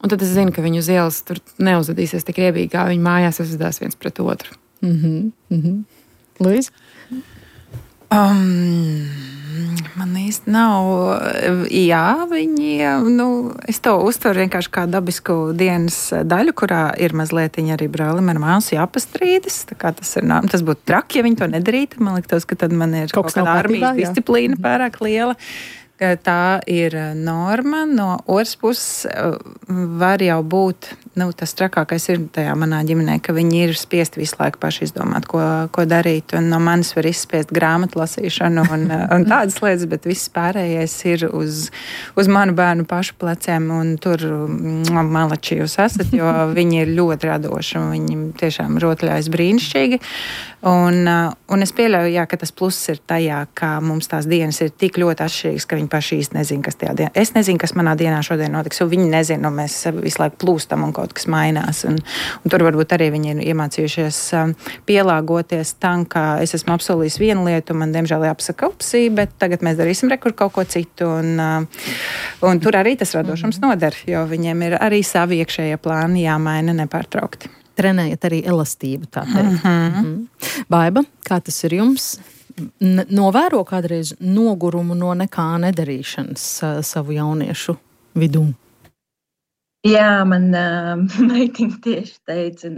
Un tad es zinu, ka viņu uz ielas tur neuzvedīsies tik riebīgi, kā viņi mājās uzvedās viens pret otru. Luīza? Man īsti nav. Jā, viņi, es to uztveru vienkārši kā dabisku dienas daļu, kurā ir mazliet arī brālim ar māsu jāpastrīdas. Tā kā tas būtu traki, ja viņi to nedarītu. Man liktos, ka tad man ir kaut kāda armijas disciplīna pārāk liela. Tā ir norma. No otras puses var jau būt, tas trakākais ir tajā manā ģimenē, ka viņi ir spiesti visu laiku paši izdomāt, ko darīt. Un no manis var izspiest grāmatu lasīšanu un tādas lietas, bet viss pārējais ir uz manu bērnu pašu pleciem. Un tur malači jūs esat, jo viņi ir ļoti radoši un viņi tiešām rotaļājas brīnišķīgi. Un es pieļauju, ka tas pluss ir tajā, ka mums tās dienas ir tik ļoti atšķirīgas, ka viņi paši īsti nezina, kas tajā dienā. Es nezinu, kas manā dienā šodien notiks, un viņi nezina, un mēs visu laiku plūstam un kaut kas mainās. Un tur varbūt arī viņi ir iemācījušies pielāgoties tam, ka es esmu apsolījis vienu lietu, un man diemžēl jāpasaka upsī, bet tagad mēs darīsim kaut ko citu. Un tur arī tas radošums noder, jo viņiem ir arī savi iekšējie plāni jāmaina nepārtraukti. Trenējat arī elastību, tā teikt. Baiba, kā tas ir jums? Novēro kādreiz nogurumu no nekā nedarīšanas savu jauniešu vidū? Jā, man meitiņa tieši teica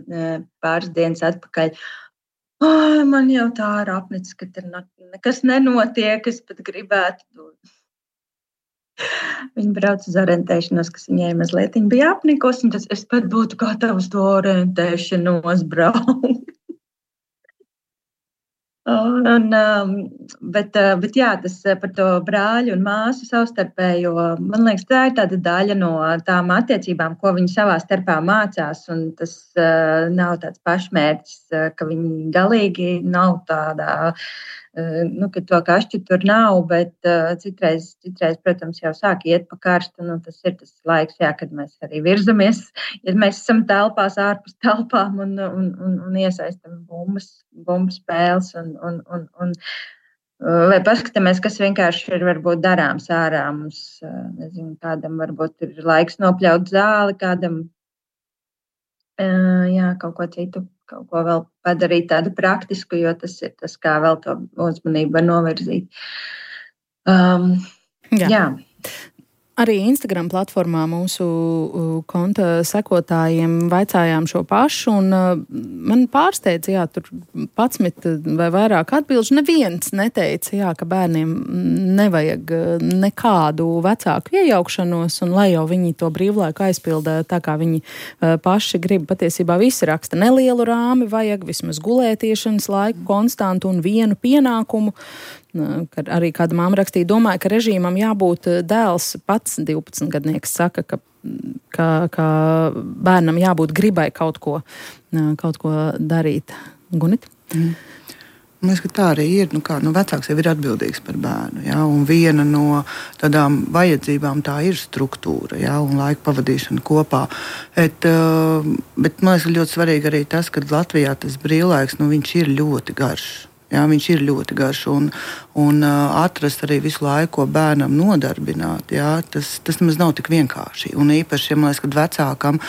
pāris dienas atpakaļ, man jau tā ir apnicis, ka tur nekas nenotiek, es pat gribētu. Viņa brauc uz orientēšanos, kas viņai mazliet bija apnikusi, un es pat būtu gatavs to orientēšanos braukt. Bet jā, tas par to brāļu un māsu savstarpējo, man liekas, tā ir tāda daļa no tām attiecībām, ko viņi savā starpā mācās, un tas nav tāds pašmērķis, ka viņi galīgi nav tādā, ka to kašķi tur nav, bet citreiz, protams, jau sāk iet pa karstu, un tas ir tas laiks, kad mēs arī virzamies, ja mēs esam telpās ārpus telpām un iesaistam bumbu spēles, vai paskatāmies, kas vienkārši ir varbūt darāms ārā. Mums, nezinu, kādam varbūt ir laiks nopļaut zāli, kādam kaut ko citu. Kaut ko vēl padarīt tādu praktisku, jo tas ir tas, kā vēl to uzmanību var novirzīt. Jā. Arī Instagram platformā mūsu konta sekotājiem vaicājām šo pašu, un man pārsteidz, tur 11 vai vairāk atbilžu. Neviens neteica, ka bērniem nevajag nekādu vecāku iejaukšanos, un lai jau viņi to brīvlaiku aizpilda tā, kā viņi paši grib. Patiesībā visi raksta nelielu rāmi, vajag vismaz gulētiešanas laiku konstantu un vienu pienākumu. Arī kāda māma rakstīja, domāju, ka režīmam jābūt dēls pats 12-gadnieks saka, ka bērnam jābūt gribai kaut ko darīt. Gunit? Man liekas, ka tā arī ir. Vecāks jau ir atbildīgs par bērnu. Ja? Un viena no tādām vajadzībām tā ir struktūra, ja? Un laika pavadīšana kopā. Bet man liekas, ļoti svarīgi arī tas, ka Latvijā tas brīvlaiks, viņš ir ļoti garš. Jā, viņš ir ļoti garš un atrast arī visu laiku, ko bērnam nodarbināt. Jā, tas nemaz nav tik vienkārši. Un īpaši, man liekas, kad vecākam,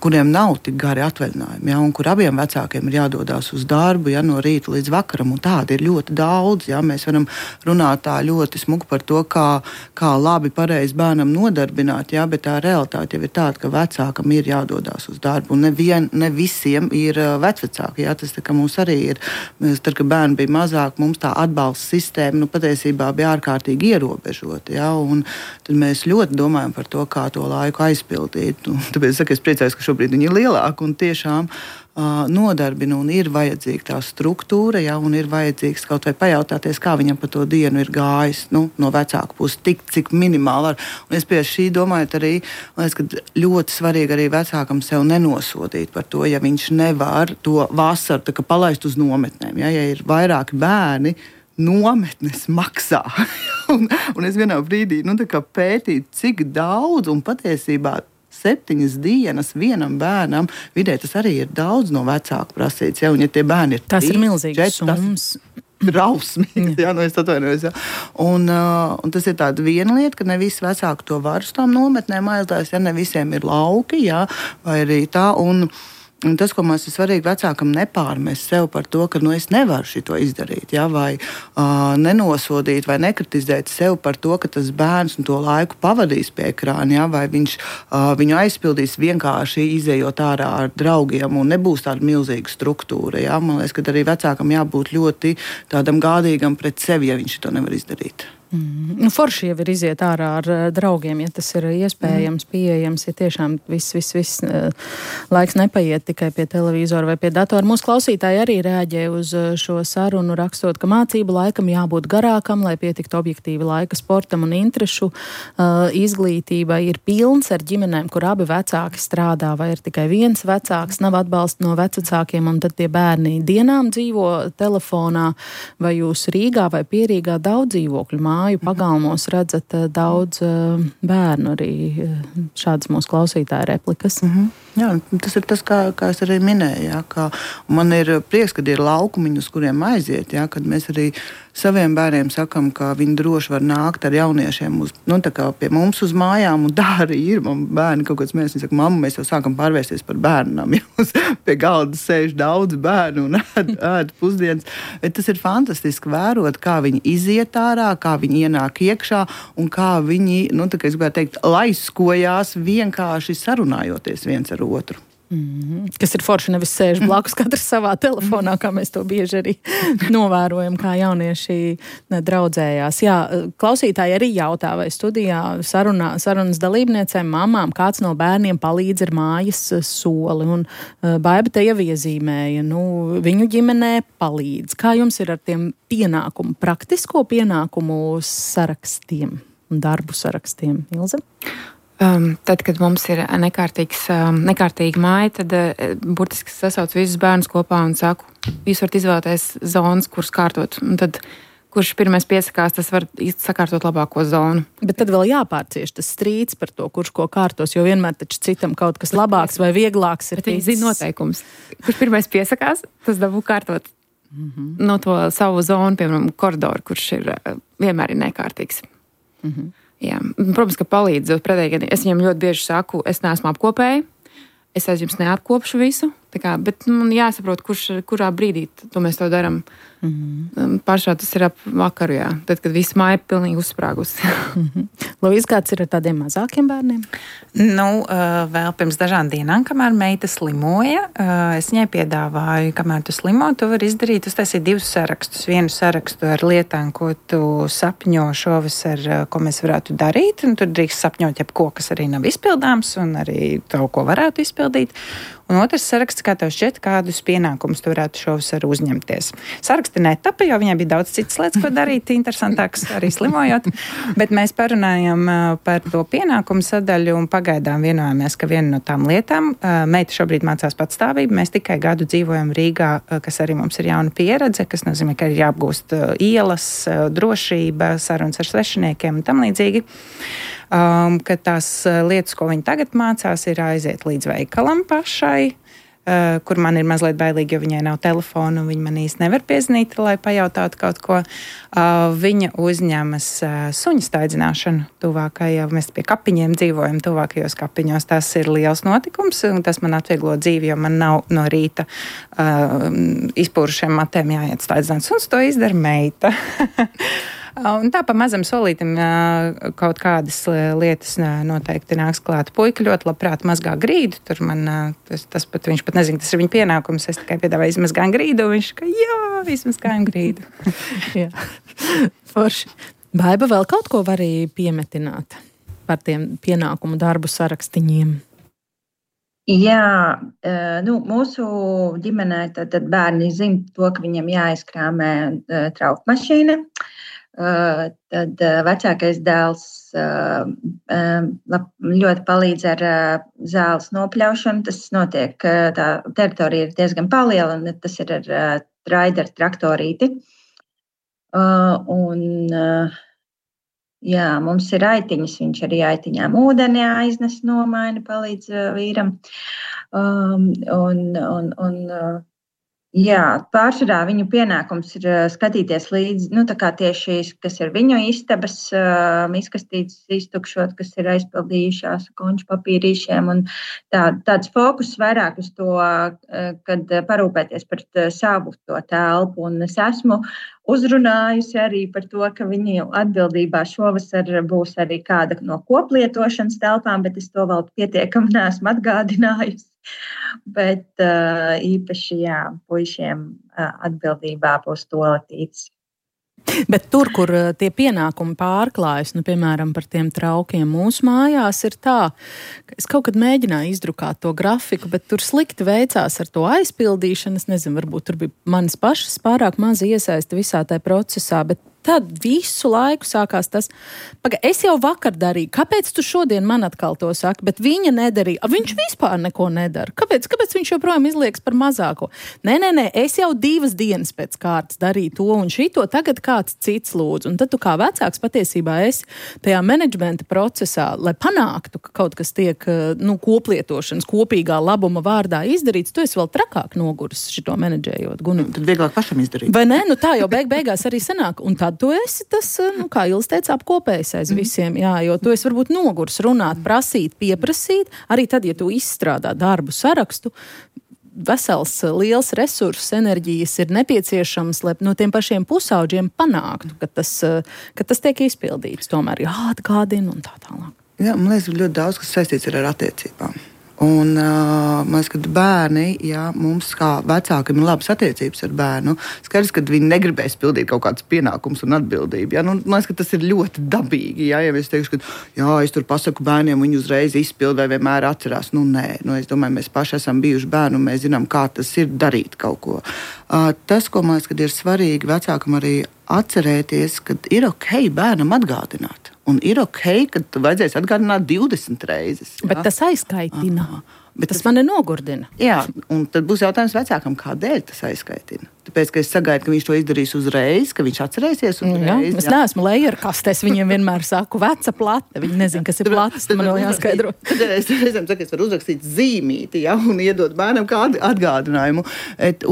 kuriem nav tik gari atvaļinājumi, jā, un kur abiem vecākiem ir jādodās uz darbu, jā, no rīta līdz vakaram, un tādi ir ļoti daudz. Jā, mēs varam runāt tā ļoti smuki par to, kā labi pareizi bērnam nodarbināt, jā, bet tā realitāte jau ir tāda, ka vecākam ir jādodās uz darbu. Un ne visiem ir vecvecāki. Jā, tas tā, ka mums arī ir. Tad, kad bērni bija mazāk, mums tā atbalsta sistēma patiesībā bija ārkārtīgi ierobežota. Ja? Tad mēs ļoti domājam par to, kā to laiku aizpildīt. Tāpēc es priecājos, ka šobrīd viņi ir lielāki un tiešām nodarbina un ir vajadzīga tā struktūra, ja? Un ir vajadzīgs kaut vai pajautāties, kā viņam pa to dienu ir gājis no vecāku puses, tik cik minimāli var. Un es pie šī domāju arī, ka ļoti svarīgi arī vecākam sev nenosodīt par to, ja viņš nevar to vasaru tā kā palaist uz nometnēm. Ja ir vairāki bērni, nometnes maksā. un es vienā brīdī pētīju, cik daudz un patiesībā 7 dienas vienam bērnam, vidē tas arī ir daudz no vecāku prasīts. Ja? Un ja tie bērni ir 3, tas ir milzīgs summas. Rausmīgs, es atvainojos. Ja? Un tas ir tāda viena lieta, ka ne visi vecāki to var uz tām nometnēm aizlēst, ja ne visiem ir lauki, ja? Vai arī tā. Un tas, ko mums ir svarīgi vecākam nepārmest sev par to, ka es nevaru šito izdarīt, ja, vai nenosodīt vai nekritizēt sev par to, ka tas bērns to laiku pavadīs pie ekrāna, ja, vai viņš viņu aizpildīs vienkārši izējot ārā ar draugiem un nebūs tāda milzīga struktūra. Ja. Man liekas, ka arī vecākam jābūt ļoti tādam gādīgam pret sevi, ja viņš to nevar izdarīt. Forši jau ir iziet ārā ar draugiem, ja tas ir iespējams, pieejams, ja tiešām viss laiks nepaiet tikai pie televizora vai pie datora. Mūsu klausītāji arī reaģē uz šo sarunu, rakstot, ka mācību laikam jābūt garākam, lai pietiktu objektīvi laika sportam un interešu izglītībai. Ir pilns ar ģimenēm, kur abi vecāki strādā, vai ir tikai viens vecāks, nav atbalsta no vecākiem, un tad tie bērni dienām dzīvo telefonā, vai jūs Rīgā vai Pierīgā daudz dzīvokļu māju pagalmos redzat daudz bērnu, arī šādas mūsu klausītāja replikas. Jā, tas ir tas, kā es arī minēju, ja, ka man ir prieks, kad ir laukumiņi, uz kuriem aiziet, ja, kad mēs arī saviem bērniem sakam, ka viņi droši var nākt ar jauniešiem pie mums uz mājām, un tā arī ir. Man bērni kaut kāds mēs, viņi saka, mamma, mēs jau sākam pārvērsties par bērnam, ja pie galda sēž daudz bērnu un ēd pusdienas. Tas ir fantastiski vērot, kā viņi iziet ārā, kā viņi ienāk iekšā un kā viņi, es gribētu teikt, laiskojās vienkārši sarunājoties viens ar otru. Kas ir forši, nevis sēž blakus katrs savā telefonā, kā mēs to bieži arī novērojam, kā jaunieši draudzējās. Jā, klausītāji arī jautā, vai studijā sarunas dalībniecēm, mamām, kāds no bērniem palīdz ar mājas soli. Un Baiba te jau iezīmēja, viņu ģimenē palīdz. Kā jums ir ar tiem praktisko pienākumu sarakstiem un darbu sarakstiem, Ilze? Tad, kad mums ir nekārtīga māja, tad burtiski sasaucu visus bērnus kopā un saku, jūs varat izvēlēties zonas, kuras kārtot. Un tad, kurš pirmais piesakās, tas var sakārtot labāko zonu. Bet tad vēl jāpārcieš tas strīds par to, kurš ko kārtos, jo vienmēr taču citam kaut kas labāks vai vieglāks ir. Bet viņi zina noteikums. Kurš pirmais piesakās, tas dabū kārtot no to savu zonu, piemēram, koridoru, kurš ir vienmēr ir nekārtīgs. Jā. Protams, ka palīdz. Pretēji, es viņam ļoti bieži saku, es neesmu apkopēji, es aiz jums neapkopšu visu, bet man jāsaprot, kurā brīdī mēs to darām. Pašā tas ir ap vakaru, jā. Tad, kad viss māja pilnīgi uzsprāgusi. Lūdzu, kāds ir ar tādiem mazākiem bērniem? Vēl pirms dažām dienām, kamēr meita slimoja, es viņai piedāvāju, kamēr tu slimo, tu vari izdarīt, uztaisīt 2 sarakstus. Vienu sarakstu ar lietām, ko tu sapņo šovasar, ko mēs varētu darīt, un tur drīkst sapņot jebko, kas arī nav izpildāms, un arī to, ko varētu izpildīt. Un otrs saraksts, kā tev šķiet, kādus pienākumus tu varētu šovasar uzņemties. Saraksti netapa, jo viņai bija daudz citas lietas, ko darīt, interesantāks arī slimojot, bet mēs parunājam par to pienākumu sadaļu un pagaidām vienojāmies, ka viena no tām lietām, meita šobrīd mācās patstāvību, mēs tikai gadu dzīvojam Rīgā, kas arī mums ir jauna pieredze, kas nozīmē, ka ir jāapgūst ielas, drošība, sarunas ar svešiniekiem un tam līdzīgi. Ka tās lietas, ko viņi tagad mācās, ir aiziet līdz veikalam pašai, kur man ir mazliet bailīgi, jo viņai nav telefona un viņa man īsti nevar piezvanīt, lai pajautātu kaut ko. Viņa uzņemas suņu staidzināšanu tuvākajā, mēs pie kapiņiem dzīvojam tuvākajos kapiņos. Tas ir liels notikums, un tas man atvieglo dzīvi, jo man nav no rīta izpūrušiem matēm jāiet staidzināt suns, to izdara meita. Un tā pa mazam solītim kaut kādas lietas noteikti nāks klāt. Puika ļoti labprāt mazgā grīdu, tur man tas pat, viņš pat nezina, tas ir viņa pienākums, es tikai piedāvāju izmazgājumu grīdu, un viņš ka jā, izmazgājumu grīdu. Jā, forši. Baiba, vēl kaut ko var arī piemetināt par tiem pienākumu darbu sarakstiņiem? Jā, mūsu ģimenē tad bērni zina to, ka viņiem jāizkrāmē traukmašīna. Tad vecākais dēls ļoti palīdz ar zāles nopļaušanu. Tas notiek, tā teritorija ir diezgan paliela, un tas ir ar raideru traktorīti. Jā, mums ir aitiņas, viņš arī aitiņām ūdeni aiznes nomaina, palīdz vīram. Jā, pārsvarā viņu pienākums ir skatīties līdzi, tā kā tieši, kas ir viņu istabas, miskastītes iztukšot, kas ir aizpildījušās konču papīrīšiem, un tāds fokus vairāk uz to, kad parūpēties par savu to telpu, un es esmu uzrunājusi arī par to, ka viņu atbildībā šovasar būs arī kāda no koplietošanas telpām, bet es to vēl pietiekami neesmu atgādinājusi. Bet īpaši, puišiem atbildībā būs toaletītes. Bet tur, kur tie pienākumi pārklājas, piemēram, par tiem traukiem mūsu mājās, ir tā, ka es kaut kad mēģināju izdrukāt to grafiku, bet tur slikti veicās ar to aizpildīšanu. Es nezinu, varbūt tur bija manas pašas pārāk maz iesaista visā tajā procesā, bet tad visu laiku sākās tas, es jau vakar darīju, kāpēc tu šodien man atkal to saki, bet viņa nedarīja, viņš vispār neko nedara. Kāpēc viņš joprojām izliekas par mazāko? Nē, es jau 2 dienas pēc kārtas darīju to un šito, tagad kāds cits lūdzu. Un tad tu kā vecāks patiesībā esi tajā menedžmenta procesā, lai panāktu, ka kaut kas tiek koplietošanas, kopīgā labuma vārdā izdarīts, tu esi vēl trakāk noguris šito menedžējot. Tad vieglāk pašam izdarīt. Vai ne? Tā jau beigās arī sanāk. Un tu esi tas, kā Ilis teica, apkopējis aiz visiem, jo tu esi varbūt nogurs runāt, prasīt, pieprasīt, arī tad, ja tu izstrādā darbu sarakstu, vesels, liels resurss, enerģijas ir nepieciešams, lai no tiem pašiem pusauģiem panāktu, ka tas tiek izpildīts, tomēr jāatgādina un tā tālāk. Jā, man liekas, ļoti daudz, kas saistīts ar attiecībām. Un, man liekas, ka bērni, mums kā vecākiem ir labas attiecības ar bērnu, skaidrs, ka viņi negribēs pildīt kaut kādas pienākumus un atbildību. Man liekas, ka tas ir ļoti dabīgi. Ja es teikšu, ka es tur pasaku bērniem, viņi uzreiz izpild vai vienmēr atcerās. Nē, es domāju, mēs paši esam bijuši bērni un mēs zinām, kā tas ir darīt kaut ko. Tas, ko man liekas, ka ir svarīgi vecākam arī atcerēties, ka ir ok bērnam atgādināt. Un ir ok, ka vajadzēs atgādināt 20 reizes. Bet tas aizkaitina. Bet tas mani nogurdina. Jā, un tad būs jautājums vecākam, kādēļ tas aizkaitina. Tāpēc, ka es sagaidu, ka viņš to izdarīs uzreiz, ka viņš atcerēsies uzreiz. Es neesmu lejerkastē, es viņiem vienmēr saku veca plate. Viņi nezin, kas ir plates, man vēl jāskaidro. Tad es reizēm saku, es varu uzrakstīt zīmīti, un iedot bērnam kādu atgādinājumu.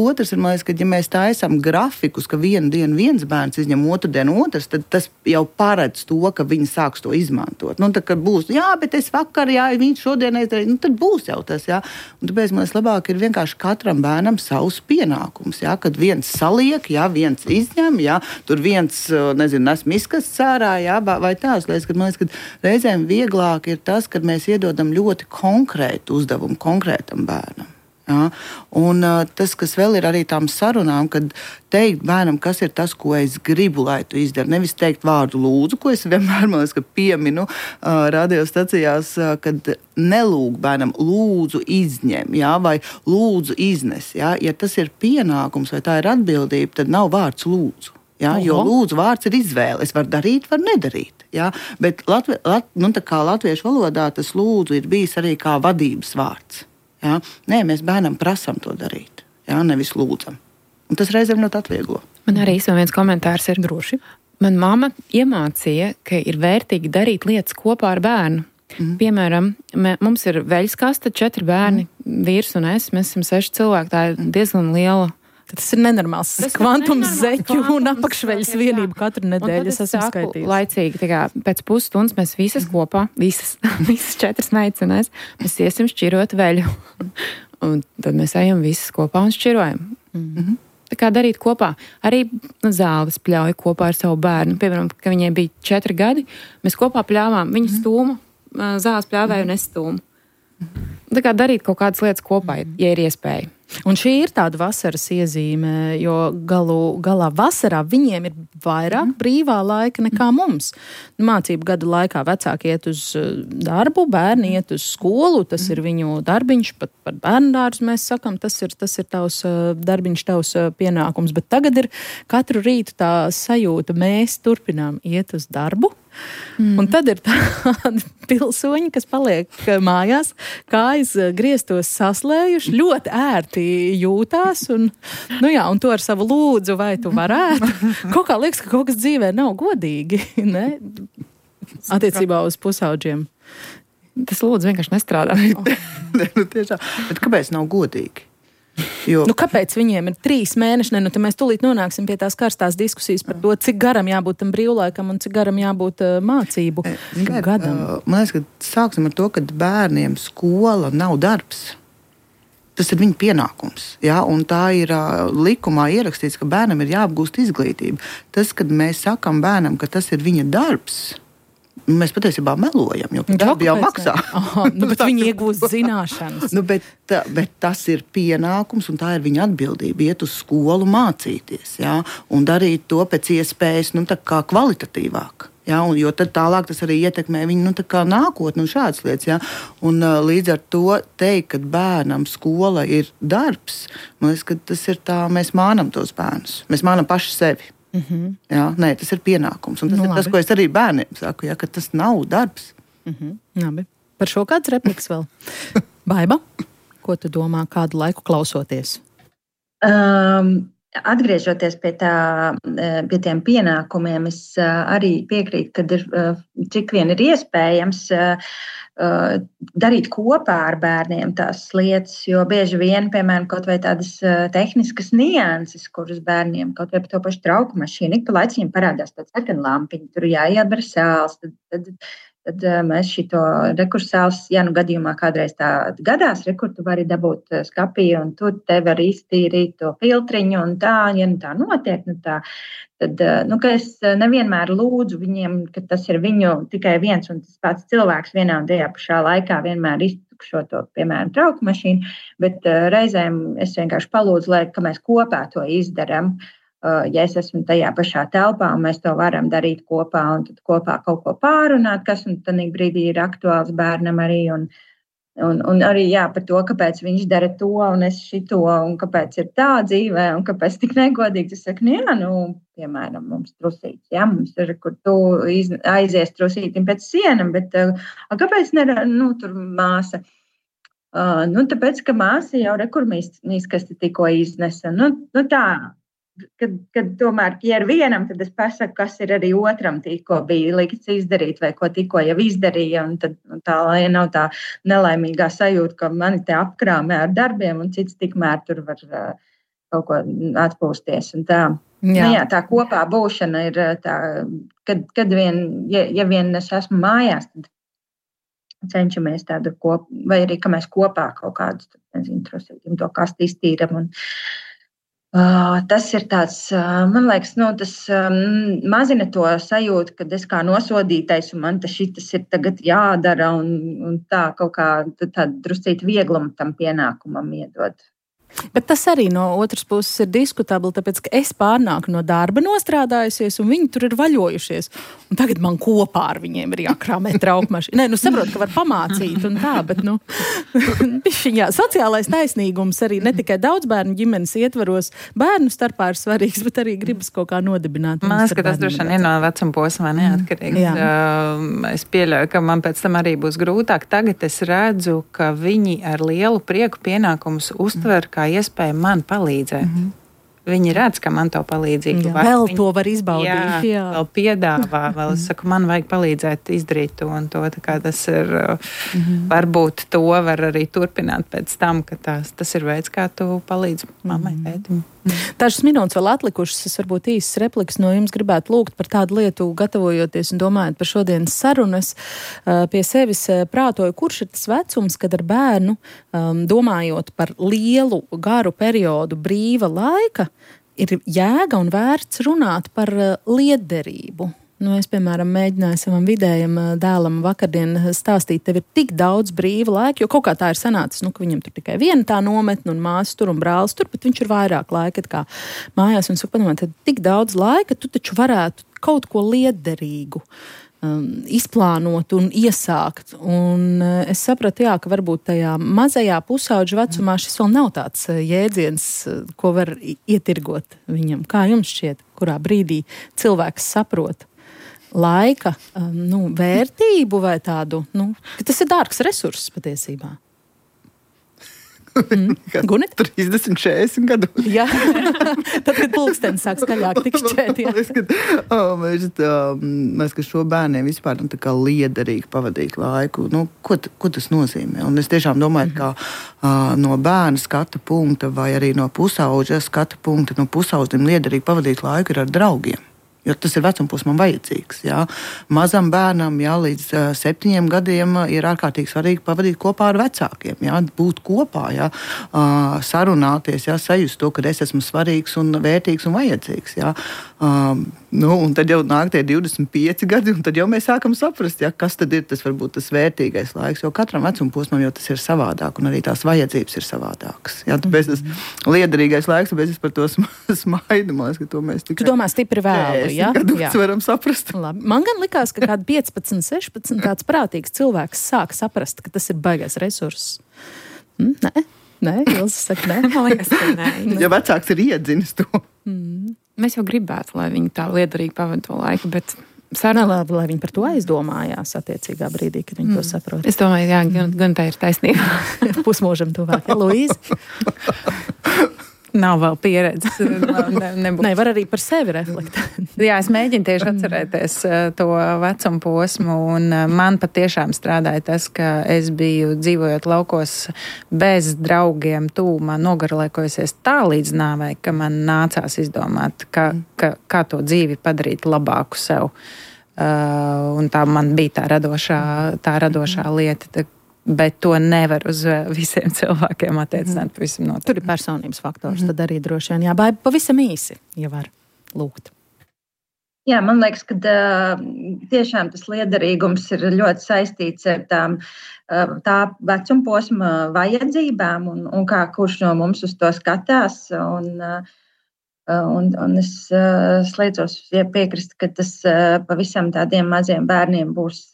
Otrs ir, man liekas, ka ja mēs taisam grafikus, ka vienu dienu viens bērns izņem otru dienu otrs, tad tas jau paredz to, ka viņi sāks to izmantot. Tā, kad būs, bet es vakar, viņš šodien aizdarīja, tad būs jau tas, Un tāpēc, man liekas, labāk ir vienkārši katram bērnam savs pienākums, kad viens saliek, viens izņem, tur viens, nes miskas cārā, vai tās lietas, kad man liekas, ka reizēm vieglāk ir tas, kad mēs iedodam ļoti konkrētu uzdevumu konkrētam bērnam. Un tas, kas vēl ir arī tām sarunām, kad teikt bērnam, kas ir tas, ko es gribu, lai tu izdari. Nevis teikt vārdu lūdzu, ko es vienmēr, man liekas, pieminu radiostacijās, kad nelūg bērnam lūdzu izņem, vai lūdzu iznes. Ja tas ir pienākums vai tā ir atbildība, tad nav vārds lūdzu. Jo lūdzu vārds ir izvēle. Es varu darīt, varu nedarīt. Bet kā latviešu valodā tas lūdzu ir bijis arī kā vadības vārds. Nē, mēs bērnam prasam to darīt, nevis lūdzam. Un tas reizēm ļoti atvieglo. Man arī viens komentārs ir droši. Man mamma iemācīja, ka ir vērtīgi darīt lietas kopā ar bērnu. Piemēram, mums ir veļskaste, 4 bērni, vīrs un es, mēs esam 6 cilvēki, tā ir diezgan liela. Tas ir nenormāls kvantums zeķu un apakšveļas vienību katru nedēļu. Es esmu skaitījusi. Laicīgi, pēc pusstundas mēs visas kopā, visas 4 meitenes, mēs iesim šķirot veļu. Un tad mēs ejam visas kopā un šķirojam. Tā kā darīt kopā. Arī zāles pļauja kopā ar savu bērnu. Piemēram, ka viņai bija 4 gadi, mēs kopā pļāvām. Viņa stūma, zāles pļāvēja un es stūmu. Tā kā darīt kaut kādas lietas kopā, ja ir iespēja. Un šī ir tāda vasaras iezīme, jo galā vasarā viņiem ir vairāk brīvā laika nekā mums. Mācību gadu laikā vecāki iet uz darbu, bērni iet uz skolu, tas ir viņu darbiņš, pat par bērndārzu mēs sakam, tas ir tavs darbiņš, tavs pienākums. Bet tagad ir katru rītu tā sajūta, mēs turpinām iet uz darbu. Un tad ir tādi pilsoņi, kas paliek mājās, kājas griestos saslējuši, ļoti ērti jūtās, un to ar savu lūdzu, vai tu varētu. Kaut kā liekas, ka kaut kas dzīvē nav godīgi, ne? Attiecībā uz pusauģiem. Tas lūdzu vienkārši nestrādā. Tiešām. Bet kāpēc nav godīgi? Kāpēc viņiem ir 3 mēneši? Tad mēs tūlīt nonāksim pie tās karstās diskusijas par to, cik garam jābūt tam brīvlaikam un cik garam jābūt mācību gadam. Man liekas, ka sāksim ar to, ka bērniem skola nav darbs. Tas ir viņa pienākums. Ja? Un tā ir likumā ierakstīts, ka bērnam ir jāapgūst izglītība. Tas, kad mēs sakam bērnam, ka tas ir viņa darbs, mēs patiesībā melojam, jo darbi jau maksā. Bet viņi iegūst zināšanas. Bet tas ir pienākums un tā ir viņa atbildība iet uz skolu mācīties, ja? Un darīt to pēc iespējas kā kvalitatīvāk. Ja? Jo tad tālāk tas arī ietekmē viņu nākotni un šādas lietas. Ja? Un līdz ar to teikt, ka bērnam skola ir darbs, man liekas, ka tas ir tā, mēs mānam tos bērnus. Mēs mānam paši sevi. Jā, nē, tas ir pienākums. Un tas ir tas, ko es arī bērniem saku, ja, ka tas nav darbs. Labi. Par šo kāds repliks vēl? Baiba, ko tu domā kādu laiku klausoties? Atgriežoties pie tiem pienākumiem, es arī piekrītu, ka cik vien ir iespējams darīt kopā ar bērniem tās lietas, jo bieži vien, piemēram, kaut vai tādas tehniskas nianses, kuras bērniem kaut vai par to pašu trauku mašīnu, ik pa laiciņiem parādās tāds sarkana lampiņa, tur jāiedara sāls, tad mēs šito rekursāls, gadījumā kādreiz tā gadās, kur tu vari dabūt skapiju un tur te var iztīrīt to filtriņu un tā, ja tā notiek, tad, ka es nevienmēr lūdzu viņiem, ka tas ir viņu tikai viens un tas pats cilvēks vienā un tajā pašā laikā vienmēr iztukšo to, piemēram, trauku mašīnu, bet reizēm es vienkārši palūdzu, ka mēs kopā to izdaram. Ja es esmu tajā pašā telpā un mēs to varam darīt kopā un tad kopā kaut ko pārunāt, kas un tad brīdī ir aktuāls bērnam arī un arī par to, kāpēc viņš dara to un es šito un kāpēc ir tā dzīvē un kāpēc tik negodīgi. Es saku, piemēram, mums trusīts, mums ir, kur tu aizies trusītim pēc sienam, bet kāpēc tur māsa? Tāpēc, ka māsa jau rekurmīskasti tikko iznesa. Tā. Kad tomēr, ja ir vienam, tad es pasaku, kas ir arī otram tikko bija likts izdarīt vai ko tikko jau izdarīja. Un tad tā, lai nav tā nelaimīgā sajūta, ka mani te apkrāmē ar darbiem un cits tikmēr tur var kaut ko atpūsties. Un tā. Tā kopā būšana ir tā, kad vien, ja vien es esmu mājās, tad cenšamies tādu kopā, vai arī, ka mēs kopā kaut kādus, trusītim to kastu iztīram un tas ir tāds, man liekas, tas mazina to sajūtu, kad es kā nosodītais un man šitas ir tagad jādara un tā kaut kā tādu druscīt vieglumu tam pienākumam iedod. Bet tas arī no otras puses ir diskutabli, tāpēc, ka es pārnāku no darba nostrādājusies, un viņi tur ir vaļojušies. Un tagad man kopā ar viņiem ir jākrāmē traukmaši. Nē, saprotu, ka var pamācīt un tā, bet, sociālais taisnīgums arī ne tikai daudz bērnu ģimenes ietvaros bērnu starpā ir svarīgs, bet arī gribas kaut kā nodibināt. Man liekas, ka tas droši vien ir no vecuma posma neatkarīgs. Es pieļauju, ka man pēc tam arī būs grūtāk. Tagad es redzu, ka viņi ar lielu prieku pienākumus uztver, kā iespēja man palīdzēt. Viņi redz, ka man to palīdzību var. Vēl to var izbaudīt. Jā, vēl piedāvā, vēl es saku, man vajag palīdzēt izdarīt to un to. Tā kā tas ir, varbūt to var arī turpināt pēc tam, ka tas ir veids, kā tu palīdzi mammai, tētim. Dažas minūtes vēl atlikušas, es varbūt īsas replikas no jums gribētu lūgt par tādu lietu, gatavojoties un domājot par šodienas sarunas. Pie sevis prātoju, kurš ir tas vecums, kad ar bērnu, domājot par lielu, garu periodu brīva laika, ir jēga un vērts runāt par lietderību. Es, piemēram, mēģināju savam vidējam dēlam vakardien stāstīt, tev ir tik daudz brīva laika, jo kaut kā tā ir sanācis, ka viņam tur tikai viena tā nometne un māsas tur un brālis tur, bet viņš ir vairāk laika kā mājās. Un saku, padomā, tad tik daudz laika, tu taču varētu kaut ko lietderīgu izplānot un iesākt. Un es sapratu, ka varbūt tajā mazajā pusauģa vecumā šis vēl nav tāds jēdziens, ko var ietirgot viņam. Kā jums šķiet, kurā brīdī cilvēks saprot laika vērtību vai tādu, ka tas ir dārgs resurss patiesībā? Gunit? 30, 40 gadu. Jā, tad, kad pulksteni sāk skaļāk tikšķēt. Mēs, ka šo bērniem vispār tā kā liederīgi pavadīt laiku, ko tas nozīmē? Un es tiešām domāju, ka no bērna skatu punkta vai arī no pusauģa skatu punkta, no pusauģiem liederīgi pavadīt laiku ir ar draugiem. Jo tas ir vecumposmam vajadzīgs. Jā. Mazam bērnam līdz 7 gadiem ir ārkārtīgi svarīgi pavadīt kopā ar vecākiem. Jā. Būt kopā, jā. Sarunāties, jā. Sajust to, ka es esmu svarīgs un vērtīgs un vajadzīgs. Jā. Un tad jau nāk tie 25 gadi, un tad jau mēs sākam saprast, jā, kas tad ir tas varbūt tas vērtīgais laiks. Jo katram vecumposmam jau tas ir savādāk, un arī tās vajadzības ir savādākas. Jā. Tāpēc tas liederīgais laiks, tāpēc es par to smaidu. Ka to mēs tikai... Tu domā stipri vēlu. Jā, varam saprast. Labi. Man gan likās, ka kādi 15, 16 tāds prātīgs cilvēks sāk saprast, ka tas ir baigais resurss. Nē, Ilze saka, nē. Man liekas, ka nē. Ja vecāks ir iedzinis to. Mēs jau gribētu, lai viņi tā liederīgi pavada to laiku, bet sarunā, lai viņi par to aizdomājās attiecīgā brīdī, kad viņi to saprot. Es domāju, jā, gan tā ir taisnība. Pusmūžam tuvāk. Ja, Luīze? Nav vēl pieredzes. Nevar arī par sevi reflektēt. Jā, es mēģinu tieši atcerēties to vecumu posmu, un man patiešām strādāja tas, ka es biju dzīvojot laukos bez draugiem tūmā, nogarlaikojusies tā līdz nāvei, ka man nācās izdomāt, kā to dzīvi padarīt labāku sev. Un tā man bija tā radošā lieta. Bet to nevar uz visiem cilvēkiem attiecināt pavisam noteikti. Tur ir personības faktors, tad arī droši vien jābāja pavisam īsi, ja var lūgt. Jā, man liekas, ka tiešām tas liederīgums ir ļoti saistīts ar tā vecumposma vajadzībām un kā kurš no mums uz to skatās. Un es slēdzos piekrist, ka tas pavisam tādiem maziem bērniem būs...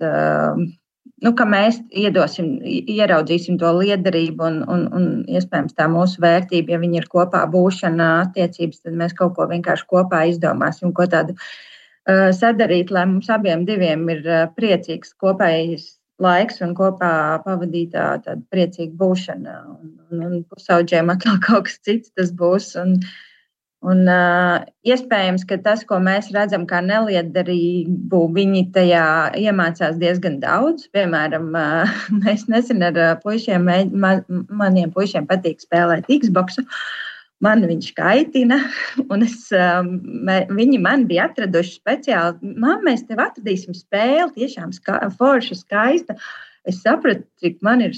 ka mēs ieraudzīsim to liederību un iespējams tā mūsu vērtība, ja viņi ir kopā būšana attiecības, tad mēs kaut ko vienkārši kopā izdomāsim, ko tādu sadarīt, lai mums abiem diviem ir priecīgs kopējs laiks un kopā pavadītā tāda priecīga būšana. Un pusauģiem atkal kaut kas cits tas būs. Un iespējams, ka tas, ko mēs redzam kā neliederību, viņi tajā iemācās diezgan daudz. Piemēram, mēs nesen ar puišiem, maniem puišiem patīk spēlēt Xboxu. Man viņš kaitina, un viņi man bija atraduši speciāli. Mēs tev atradīsim spēli, tiešām forša, skaista. Es sapratu, cik man ir,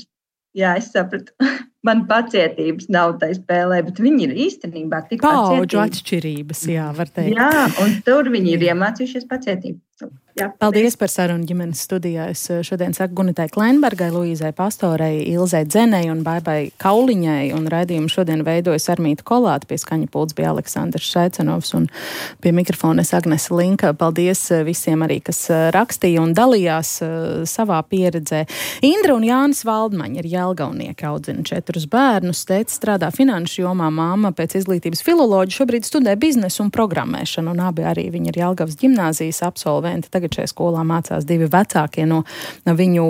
es sapratu. Man pacietības nav tai spēlē, bet viņi ir īstenībā tik pacietīgi. Paudžu atšķirības, var teikt. Jā, un tur viņi ir iemācījušies pacietību. Jā, paldies par sarunu ģimenes studijā. Es šodien saku Gunitai Kleinbergai, Luīzai Pastorei, Ilzei Dzenei un Baibai Kauliņai. Un raidījumu šodien veidojas Armīta Kolāte, pie skaņa pults bija Aleksandrs Šaicenovs un pie mikrofona es Agnese Linka. Paldies visiem arī, kas rakstīja un dalījās savā pieredzē. Indra un Jānis Valdmaņi ir jelgavnieki, audzina 4 bērnus. Tētis strādā finanšu jomā, māma pēc izglītības filoloģija, šobrīd studē biznesu un programmēšanu, un abi arī viņi ir Jelgavas ģimnāzijas absolventi. Tagad šajā skolā mācās 2 vecākie no viņu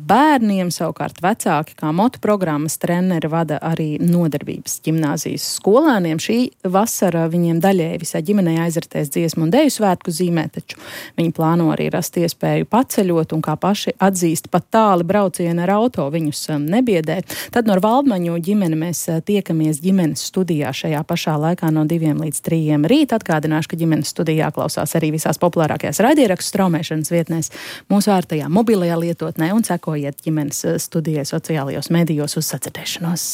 bērniem, savukārt vecāki kā motu programmas treneri vada arī nodarbības ģimnāzijas skolēniem. Šī vasara viņiem daļēji visai ģimenei aizritēs dziesmu un deju svētku zīmē, taču viņi plāno arī rast iespēju paceļot un kā paši atzīst pat tāli braucieni ar auto viņus nebiedē. Tad no Valdmaņu ģimeni mēs tiekamies ģimenes studijā šajā pašā laikā no 2 līdz 3 rīt. Atgādināšu, ka ģimenes studijā klausās arī visās populārākajās raidierakstu straumēšanas vietnēs, mūsu ārtajā mobilajā lietotnē un sekojiet ģimenes studijai sociālajos medijos uz sadzirdēšanos.